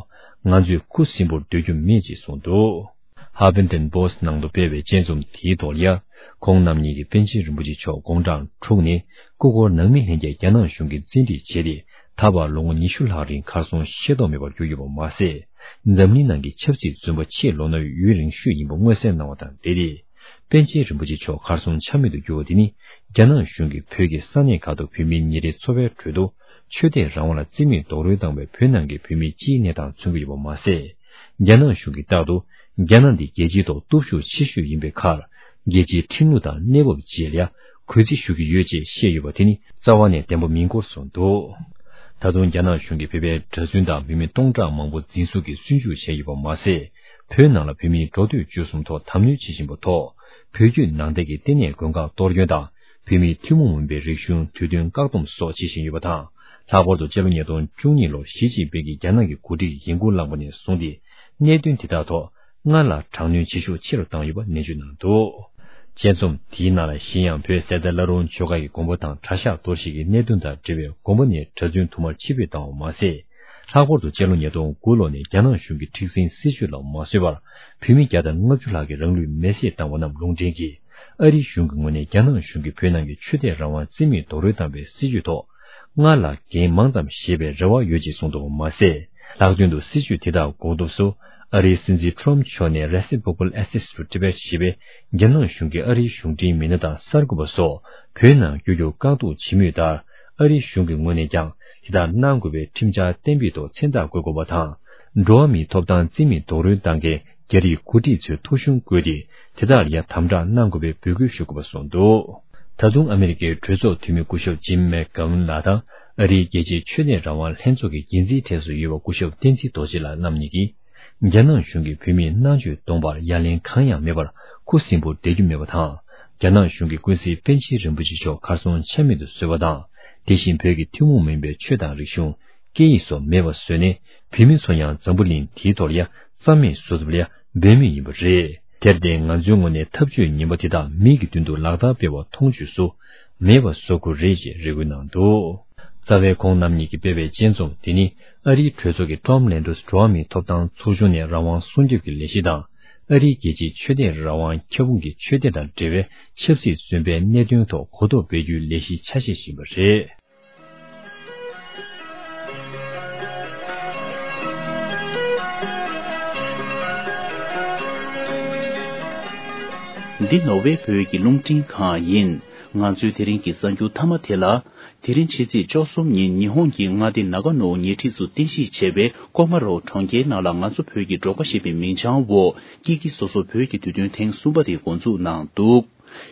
ང་ཚོས་ཁུ་སིམ་པོར་སྡོད་རྒྱུ་མེད་ཅེས་གསུངས་འདུག། ཧ་ཕིང་ཏོན་པོ་སི་ནང་དུ་སྤེལ་བའི་དཔྱད་རྩོམ་དེའི་ཐོག་ལ་ཡ། ཁོང་རྣམ་གཉིས་ཀྱིས་པཎ་ཆེན་རིན་པོ་ཆེ་མཆོག་དགུང་གྲངས་དྲུག་ནས་སྐུ་འཁོར་ནང་མི་ལྷན་རྒྱས་རྒྱ་ནག་གཞུང་གིས་བཙན་ཁྲིད་བྱས་ཏེ། ད་བར་ལོ་ངོ་ཉི་ཤུ་ལྷག་རིང་གར་སོང་ཤེས་རྟོགས་མེད་པར་གྱུར་ཡོད་པ་མ་ཟད། འཛམ་གླིང་ནང་གི་ཆབ་སྲིད་བཙོན་པ་ཆེས་ལོ་ན་ཡོད་རིང་ཤོས་ཡིན་པ་མངོན་གསལ་གནང་བ་དང་འབྲེལ་ཏེ། པཎ་ཆེན་རིན་པོ་ཆེ་མཆོག་གར་སོང་ཆ་མེད་དུ་གྱུར་བ་དེ་ནི། རྒྱ་ནག་གཞུང་གིས་བོད་ཀྱི་ས་གནས་ཁག་ཏུ་བོད་མིའི་ཉིན་རེའི་འཚོ་བའི་ཁྲོད་དུ། ཆོས་དད་རང་དབང་ལ་བརྩི་མེད་རྡོག་རོལ་བཏང་བའི་བོད་ནང་གི་བོད་མིའི་སྤྱིའི་གནས་སྟངས་མཚོན་གྱི་ཡོད་པ་མ་ཟད། རྒྱ་ནག་གཞུང་གིས་རྟག་ཏུ། རྒྱ་ནག་འདི་རྒྱལ་སྤྱིའི་ཐོག་སྟོབས་ཤུགས་ཆེ་ཤོས་ཡིན་པའི་ཁར། རྒྱལ་སྤྱིའི་ཁྲིམས་ལུགས་དང་གནས་བབ་བཅས་ལ་གུས་བརྩི་ཞུ་གི་ཡོད་ཅེས་བཤད་ཡོད་པ་དེ་ནི་རྩ་བ་ནས་བདེན་པ་མིན་སྐོར་གསུངས་འདུག། ད་དུང་རྒྱ་ནག་གཞུང་གིས་བོད་པའི་གྲྭ་བཙུན་དང་བུད་མེད་སྟོང་ཕྲག་མང་པོ་འཛིན་བཟུང་གིས་བཙོན་འཇུག་བྱས་ཡོད་པ་མ་ཟད། བོད་ནང་ལ་བོད་མིའི་འགྲོ་སྡོད་སྤྱོད་གསུམ་ཐོག་དམ་གནོན་བྱེད་བཞིན་པ་ཐོག། བོད་བརྒྱུད་ནང་བསྟན་གྱི་ལྟེ་གནས་མགོན་ཁང་གཏོར་སྐྱོན་དང་། བོད་མིའི་ཐུན་མོང་མིན་པའི་རིག་གཞུང་དུས་སྟོན་བཀག་སྡོམ་སོགས་བྱེད་བཞིན་ཡོད་པ་དང་། ལྷག་པར་དུ་སྤྱི་ལོ་ཉིས་སྟོང་བཅུ་གཉིས་ལོར་ཞི་ཅིན་ཕིང་གིས་རྒྱ་ནག་གི་འགོ་ཁྲིད་ཀྱི་ཡིན་ཁུལ་བླངས་པ་ནས་བཟུང་སྟེ། གནད་དོན་དེ་དག་ཐོག་སྔར་ལ་དྲག་གནོན་བྱེད་ཤུགས་ཆེ་རུ་བཏང་ཡོད་པ་ནན་བརྗོད་གནང་འདུག། དཔྱད་རྩོམ་དེའི་ནང་ལ་གཞན་ཡང་བོད་གསེར་རྟ་བླ་རུང་ཆོས་སྒར་གྱི་དགོན་པ་དང་གྲྭ་ཤག་གཏོར་བཤིག་གི་གནད་དོན་དང་འབྲེལ་བའི་དགོན་པ་ནས་གྲྭ་བཙུན་དུ་མར་ཕྱིར་འབུད་བཏང་བ་མ་ཟད། ལྷག་པར་དུ་སྤྱི་ལོ་ཉིས་སྟོང་དགུ་ལོ་ནས་རྒྱ་ནག་གཞུང་གི་མཁྲེགས་འཛིན་སྲིད་བྱུས་ལ་མ་བཟོད་པར། བོད་མི་བརྒྱ་དང་ལྔ་བཅུ་ལྷག་གིས་རང་ལུས་མེར་སྲེག་བཏང་བ་རྣམས་ལུང་འདྲེན་གྱིས། ཨ་རིའི་གཞུང་གི་ངོས་ནས་རྒྱ་ནག་གཞུང་གིས་བོད་ནང་གི་ཆོས་དད་རང་དབང་རྩིས་མེད་རྡོག་རོལ་བཏང་བའི་སྲིད་བྱུས་ཐོག་སྔར་ལྷག་འགན་མང་ཙམ་བཞེས་པའི་རེ་བ་ཡོད་ཅེས་གསུངས་འདུག་པ་མ་ཟད། ལྷག་དོན་དུ་སྲིད་བྱུས་དེ་དག་གོ་སྐབས་སུ། ཨ་རིའི་སྲིད་འཛིན་ཁྲོམ་མཆོག་ནས་Reciprocal Access to Tibet ཞེས་པའི་རྒྱ་ནག་གཞུང་གིས་ཨ་རིའི་གཞུང་འབྲེལ་མི་སྣ་དང་གསར་འགོད་པ་སོགས་བོད་ནང་བསྐྱོད་རྒྱུར་བཀག་སྡོམ་བྱེད་མུས་ལྟར། ཨ་རིའི་གཞུང་གི་ངོས་ནས་ཀྱང་དེ་ལྟར་གནང་དགོས་པའི་ཁྲིམས་འཆར་གཏན་འབེབས་ཐོག་མཚན་རྟགས་བཀོད་དགོས་པ་དང་། འགྲོ་བ་མིའི་ཐོབ་ཐང་རྩིས་མེད་རྡོག་རོལ་བཏང་མཁན་རྒྱ་རིགས་འགོ་ཁྲིད་ཚོའི་ཐོ་གཞུང་བཀོད་དེ། དེ་དག་ལ་ཡང་དམ་དྲག་གནང་དགོས་པའི་འབོད་སྐུལ་ཞུ་དགོས་པ་གསུངས་འདུག། ད་དུང་ཨ་མི་རི་ཀའི་གྲོས་ཚོགས་འཐུས་མི་སྐུ་ཞབས་ཇིམ་མེག་གྷ་ཝུན་ལགས་དང་། ཨ་རིའི་རྒྱལ་སྤྱིའི་ཆོས་དད་རང་དབང་ལྷན་ཚོགས་ཀྱི་འགན་འཛིན་གྲས་སུ་ཡོད་པ་སྐུ་ཞབས་བསྟན་འཛིན་རྡོ་རྗེ་ལགས་རྣམ་གཉིས་ཀྱིས། རྒྱ་ནག་གཞུང་གིས་བོད་མིའི་གནང་སྤྱོད་སྟོང་པར་ཡ་ལན་གང་ཡང་མེད་པར་ཁུ་སིམ་པོར་བསྡད་རྒྱུ་མེད་པ་དང་། རྒྱ་ནག་གཞུང་གིས་ཀུན་གཟིགས་པཎ་ཆེན་རིན་པོ་ཆེ་མཆོག་གར་སོང་ཆ་མེད་དུ་བཟོས་པ་དང་། དེ་བཞིན་བོད་ཀྱི་ཐུན་མོང་མ་ཡིན་པའི་ཆོས་དང་རིག་གཞུང་། སྐད་ཡིག་སོགས་མེད་པ་བཟོས་ནས། བོད་མི་ཚོ་ཡང་འཛམ་བུ་གླིང་འདིའི་ཐོག་ལ་ཡ་རྩ་མེད་བཟོ་ཐུབ་ལ་ཡ་འབད་མུས་ཡིན་པ་རེད། དེར་བརྟེན་ང་ཚོའི་ངོས་ནས་ཐབས་ཇུས་ངན་པ་དེ་དག་མིག་གི་མདུན་དུ་ལག་བསྟར་སྤེལ་བ་མཐོང་ཆོས་སུ་མེད་པ་བཟོ་དགོས་རེད་ཅེས་རེ་སྐུལ་གནང་འདུག། རྩ་བའི་ཁོང་རྣམ་གཉིས་ཀྱིས་སྤེལ་བའི་དཔྱད་རྩོམ་དེ་ནི་ཨ་རིའི་གྲོས་ཚོགས་ཀྱི་Tom Lantos འགྲོ་བ་མིའི་ཐོབ་ཐང་ཚོགས་ཆུང་ནས་རང་དབང་སྲུང་སྐྱོབ་ཀྱི་ལས་གཞི་དང་། ཨ་རིའི་རྒྱལ་སྤྱིའི་ཆོས་དད་རང་དབང་ཁྱབ་ཁོངས་ཀྱི་ཆོས་དད་དང་འབྲེལ་བའི་ཆབ་སྲིད་བཙོན་པའི་གནད་དོན་ཐོག་གོ་རྟོགས་སྤེལ་རྒྱུའི་ལས་གཞི་ཆ་ཤས་ཤིག་ཡིན་པ་རེད། འདི་ནོར་ཝེ་བོད་ཀྱི་རླུང་འཕྲིན་ཁང་ཡིན། ང་ཚོའི་དེ་རིང་གི་གསར་འགྱུར་མཐའ་མ་དེ་ལ། དེ་རིང་ཕྱི་ཚེས་བཅུ་གསུམ་ཉིན་ཉི་ཧོང་གི་མངའ་སྡེ་ནཱ་ག་ནོ་ཉེ་འཁྲིས་སུ་རྟེན་གཞི་བྱས་པའི་ཀོ་མ་རོ་གྲོང་ཁྱེར་ནང་ལ་ང་ཚོ་བོད་ཀྱི་འབྲོག་པ་ཞེས་པའི་མིང་བྱང་འོག་ཀི་ཀི་སོ་སོ་བོད་ཀྱི་དུས་སྟོན་ཐེངས་གསུམ་པ་དེ་འགོ་འཛུགས་གནང་འདུག།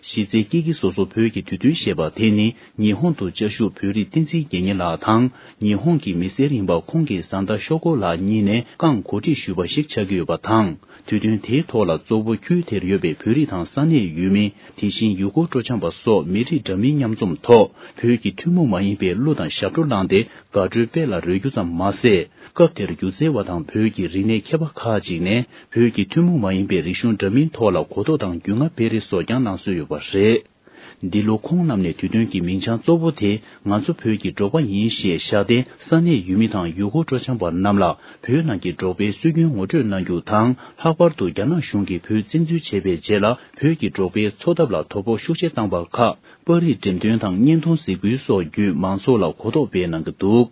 གཞི་རྩའི་ཀི་ཀི་སོ་སོ་བོད་ཀྱི་དུས་སྟོན་ཞེས་པ་དེ་ནི་ཉི་ཧོང་དུ་བཅའ་བཞུགས་བོད་རིགས་བསྟན་འཛིན་དགེ་བསྙེན་ལགས་དང་ཉི་ཧོང་གི་མི་སེར་ཡིན་པ་ཁོང་གི་བཟའ་ཟླ་ཤོ་ཀོ་ལགས་གཉིས་ནས་རྐང་གོ་སྒྲིག་ཞུས་པ་ཞིག་ཆགས་ཀྱི་ཡོད་པ་དང་། དུས་སྟོན་དེའི་ཐོག་ལ་གཙོ་བོ་ཁུལ་དེར་ཡོད་པའི་བོད་རིགས་དང་ས་གནས་ཡུལ་མི། དེ་བཞིན་ཡུལ་སྐོར་སྤྲོ་འཆམ་པ་སོགས་མི་རིགས་འདྲ་མིན་མཉམ་འཛོམས་ཐོག་བོད་ཀྱི་ཐུན་མོང་མ་ཡིན་པའི་གླུ་དང་ཞབས་བྲོ་བླངས་ཏེ། དགའ་སྤྲོའི་དཔལ་ལ་རོལ་རྒྱུ་ཙམ་མ་ཟད། སྐབས་དེར་སྒྱུ་རྩལ་བ་དང་བོད་ཀྱི་རིག་གནས་མཁས་པ་ཁག་ཅིག་ནས་བོད་ཀྱི་ཐུན་མོང་མ་ཡིན་པའི་རིག་གཞུང་འདྲ་མིན་ཐོག་ལ་གོ་རྟོགས་དང་རྒྱུས་མངའ་སྤེལ་རེས་སོགས་ཀྱང་གནང་སྲོལ་ཡོད་པ་རེད། འདི་ལོ་ཁོང་རྣམས་ནས་དུས་སྟོན་གྱི་མིང་བྱང་གཙོ་བོ་དེ་ང་ཚོ་བོད་ཀྱི་འབྲོག་པ་ཡིན་ཞེས་བཞག་སྟེ། ས་གནས་ཡུལ་མི་དང་ཡུལ་སྐོར་སྤྲོ་འཆམ་པ་རྣམས་ལ་བོད་ནང་གི་འབྲོག་པའི་སྲོལ་རྒྱུན་ངོ་སྤྲོད་གནང་རྒྱུ་དང་། ལྷག་པར་དུ་རྒྱ་ནག་གཞུང་གིས་བོད་བཙན་འཛུལ་བྱས་པའི་རྗེས་ལ་བོད་ཀྱི་འབྲོག་པའི་འཚོ་ཐབས་ལ་དོ་ཕོག་ཤུགས་ཆེ་བཏང་བ་ཁག་པར་རིས་འགྲེམས་སྟོན་དང་བརྙན་ཐུང་གཟིགས་འབུལ་སོགས་བརྒྱུད་མང་ཚོགས་ལ་གོ་རྟོགས་སྤེལ་གནང་གི་འདུག།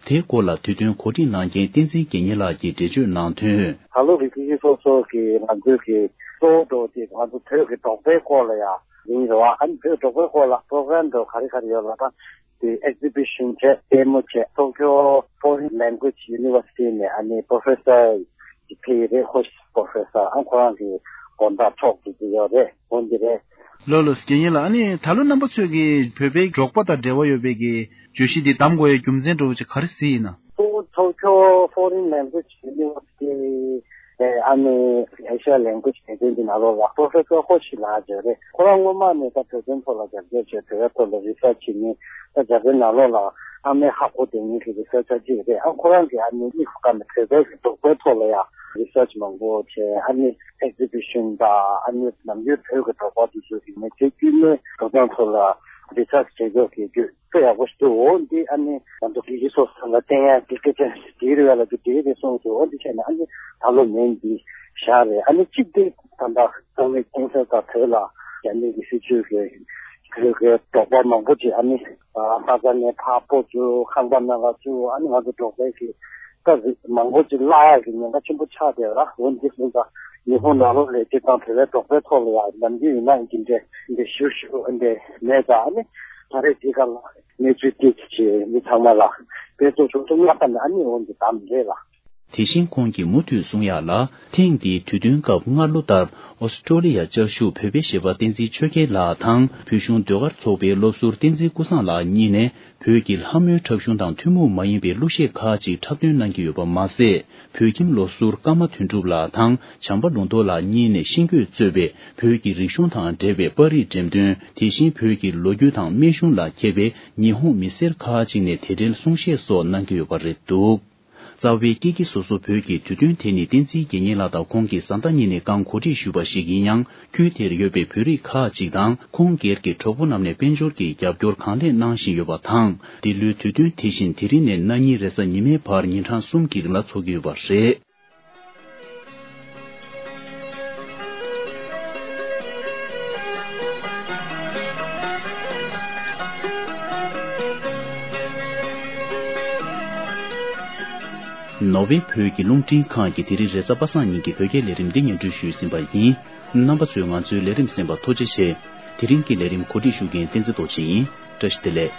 དེའི་སྐོར་ལ་དུས་སྟོན་གོ་སྒྲིག་གནང་མཁན་བསྟན་འཛིན་དགེ་བསྙེན་ལགས་ཀྱིས་འགྲེལ་བརྗོད་གནང་དོན། ད་ལོ་གི་ཀི་ཀི་སོ་སོ་གི་ང་ཚོའི་གི་གཙོ་བོ་འགྲོ་དེ་ང་ཚོ་བོད་ཀྱི་འབྲོག་པའི་སྐོར་ལ་ཡ་ཡིན་རེད་བ། ཨ་ནི་བོད་འབྲོག་པའི་སྐོར་ལ་པྲོ་གྷ་རམ་འགྲོ་ག་རེ་ག་རེ་ཡོད་ལ་ད་དེ་ཨེག་ཛི་བི་ཤན་བྱས་ལྟད་མོ་བྱས། Tokyo Foreign Language University ནས་ཨ་ནི་པྲོ་ཕེ་སར་ཅིག་ཕེབས་ཡོད་རེད། ཧོ་ཤི་པྲོ་ཕེ་སར། ཨ་ཁོ་རང་གི་དགོང་དག་ཐོག་དེ་ཅིག་ཡོད་རེད། འོ་འདི་རེད། ལགས་ལགས་དགེ་བསྙེན་ལགས། ཨ་ནི་ད་ལོ་རྣམ་པ་ཚོས་ཀྱི་བོད་པའི་འབྲོག་པ་དང་འབྲེལ་བ་ཡོད་པའི་གི་བརྗོད་གཞི་འདི་བདམས་དགོས་ཡའི་རྒྱུ་མཚན་འདྲ་བོ་ཅིག་ག་རེ་གཟིགས་ཡིན་ན། Tokyo Foreign Language University ཨ་ནི་Asia Language Center འདི་ནང་ལོགས་ལ་པྲོ་ཕེ་སར་ཧོ་ཤི་ལགས་ཅིག་རེད། ཁོ་རང་སྔོན་མ་ནས་ད་བོད་དོན་ཐོག་ལ་རྒྱབ་སྐྱོར་བྱས། བོད་པའི་ཐོག་ལ་རི་སར་ཆི་བྱེད་མཁན། ད་རྒྱ་བོད་ནང་ལོགས་ལ་ཨ་མའི་ཧ་གོ་བསྡད་མཁན་གྱི་རི་སར་ཆར་ཅིག་རེད། ཨ་ཁོ་རང་གིས་ཨ་ནི་དམིགས་སུ་བཀར་ནས་བོད་པའི་གི་འབྲོག་པའི་ཐོག་ལ་ཡང་རི་སར་ཆི་མང་པོ་བྱས། ཨ་ནི་ཨེག་ཛི་བི་ཤན་དང་ཨ་ནི་ནམ་རྒྱུན་བོད་ཀྱི་འབྲོག་པ་དེ་ཚོ་གི་མི་ཚེ་དཀྱུས་མའི་འགྲོ་སྟངས་ཐོག་ལ་རི་སར་ཆི་བྱེད་ཕྱོགས་ཀྱི་རྒྱུ་དཔེ་ཡག་པོ་ཞིག་འདུག། འོ་འདི་ཨ་ནི་ང་ཚོ་དགེ་བཤེས་སོ་སོ་ལ་བསྟན་ཡ་དགེ་སྐད་ཆ་འདི་རེད་བ་ལབ་རྒྱུ་འདི་རེད་གསུངས་འདུག། འོ་འདི་བྱས་ནས་ཨ་ནི་ད་ལོ་མིང་འདི་བཞག་རེད། ཨ་ནི་གཅིག་དེ་ད་ལྟ་ཚང་མས་མཁྱེན་གསལ་ལྟར་བོད་ལ་རྒྱ་མི་གི་སྲིད་བྱུས་ཀྱི་བོད་ཀྱི་འབྲོག་པ་མང་པོ་ཅིག་ཨ་ནི་ལྷ་ས་ནས་ཕར་སྤོ་བཅུག། ཁང་པ་ནང་ལ་བཅུག། ཨ་ནི་ང་ཚོ་འབྲོག་པའི་གི་ད་མང་པོ་ཅིག་བརླག་ཡ་གི་ཉེན་ཁ་ཆེན་པོ་ཆགས་བསྡད་ཡོད་ར། འོ་འདི་སོང་ཙང་ཉི་ཧོང་ནང་ལོགས་ལ་སྤྱིར་བཏང་བོད་པའི་འབྲོག་པའི་ཐོག་ལ་ཡང་ནམ་རྒྱུན་ཡིན་ན་འདི་འདྲའི་འདི་ཞུ་ཞུ་འདི་མེད་ཙང་། ཨ་ནི་ད་རེས་འདི་ག་ལ་གནས་ཚུལ་ཏོག་ཙམ་ཅིག་མི་ཚང་མ་ལ་དཔེ་ཚོགས་ཆུང་ཆུང་ལ་ཁ་ནས་ཨ་ནི་འོ་འདི་བདམས་རེད་ལ། དེ་བཞིན་ཁོང་གིས་མུ་མཐུད་གསུང་ཡག་ལ། ཐེངས་འདིའི་དུས་སྟོན་སྐབས་སྔ་ལོ་ལྟར་ཨོ་སི་ཀྲོ་ལི་ཡ་བཅའ་བཞུགས་བོད་པའི་གཞས་པ་བསྟན་འཛིན་ཆོས་རྒྱལ་ལགས་དང་བོད་གཞུང་ཟློས་གར་ཚོགས་པའི་སློབ་ཟུར་བསྟན་འཛིན་ཀུན་བཟང་ལགས་གཉིས་ནས་བོད་ཀྱི་ལྷ་མོའི་འཁྲབ་གཞུང་དང་ཐུན་མོང་མ་ཡིན་པའི་གླུ་གཞས་ཁག་ཅིག་འཁྲབ་སྟོན་གནང་གི་ཡོད་པ་མ་ཟད། བོད་ཁྱིམ་སློབ་ཟུར་ཀརྨ་དོན་གྲུབ་ལགས་དང་བྱམས་པ་ལུང་རྟོགས་ལགས་གཉིས་ནས་ཤིང་བརྐོས་གཙོས་པའི་བོད་ཀྱི་རིག་གཞུང་དང་འབྲེལ་བའི་པར་རིས་འགྲེམས་སྟོན། དེ་བཞིན་བོད་ཀྱི་ལོ་རྒྱུས་དང་སྨན་གཞུང་ལ་མཁས་པའི་ཉི་ཧོང་མི་སེར་ཁག་ཅིག་ནས་དེ་འབྲེལ་གསུང་བཤད་སོགས་གནང་གི་ཡོད་པ་རེད་འདུག། རྩ་བའི་ཀི་ཀི་སོ་སོ་བོད་ཀྱི་དུས་སྟོན་དེ་ནི་བསྟན་འཛིན་དགེ་བསྙེན་ལགས་དང་ཁོང་གི་བཟའ་ཟླ་གཉིས་ནས་རྐང་གོ་སྒྲིག་ཞུས་པ་ཞིག་ཡིན་ཡང་། ཁུལ་དེར་ཡོད་པའི་བོད་རིགས་ཁག་ཅིག་དང་ཁོང་སྒེར་གྱི་གྲོགས་པོ་རྣམས་ནས་དཔལ་འབྱོར་གྱི་རྒྱབ་སྐྱོར་གང་ལེགས་གནང་བཞིན་ཡོད་པ་དང་། འདི་ལོའི་དུས་སྟོན་དེ་བཞིན་དེ་རིང་ནས་གནངས་ཉིན་རེས་གཟའ་ཉི་མའི་བར་ཉིན་གྲངས་གསུམ་གྱི་རིང་ལ་འཚོགས་ཀྱི་ཡོད་པ་རེད། ནོར་ཝེ་བོད་ཀྱི་རླུང་འཕྲིན་ཁང་གིས་དེ་རིང་རེས་གཟའ་པ་སངས་ཉིན་གྱི་བོད་སྐད་ལས་རིམ་འདི་སྙན་སྒྲོན་ཞུས་ཟིན་པ་ཡིན། རྣམ་པ་ཚོས་ང་ཚོའི་ལས་རིམ་གསན་པར་ཐུགས་རྗེ་ཆེ། དེ་རིང་གི་ལས་རིམ་གོ་སྒྲིག་ཞུ་མཁན་བསྟན་འཛིན་རྡོ་རྗེ་ཡིན། བཀྲ་ཤིས་བདེ་ལེགས།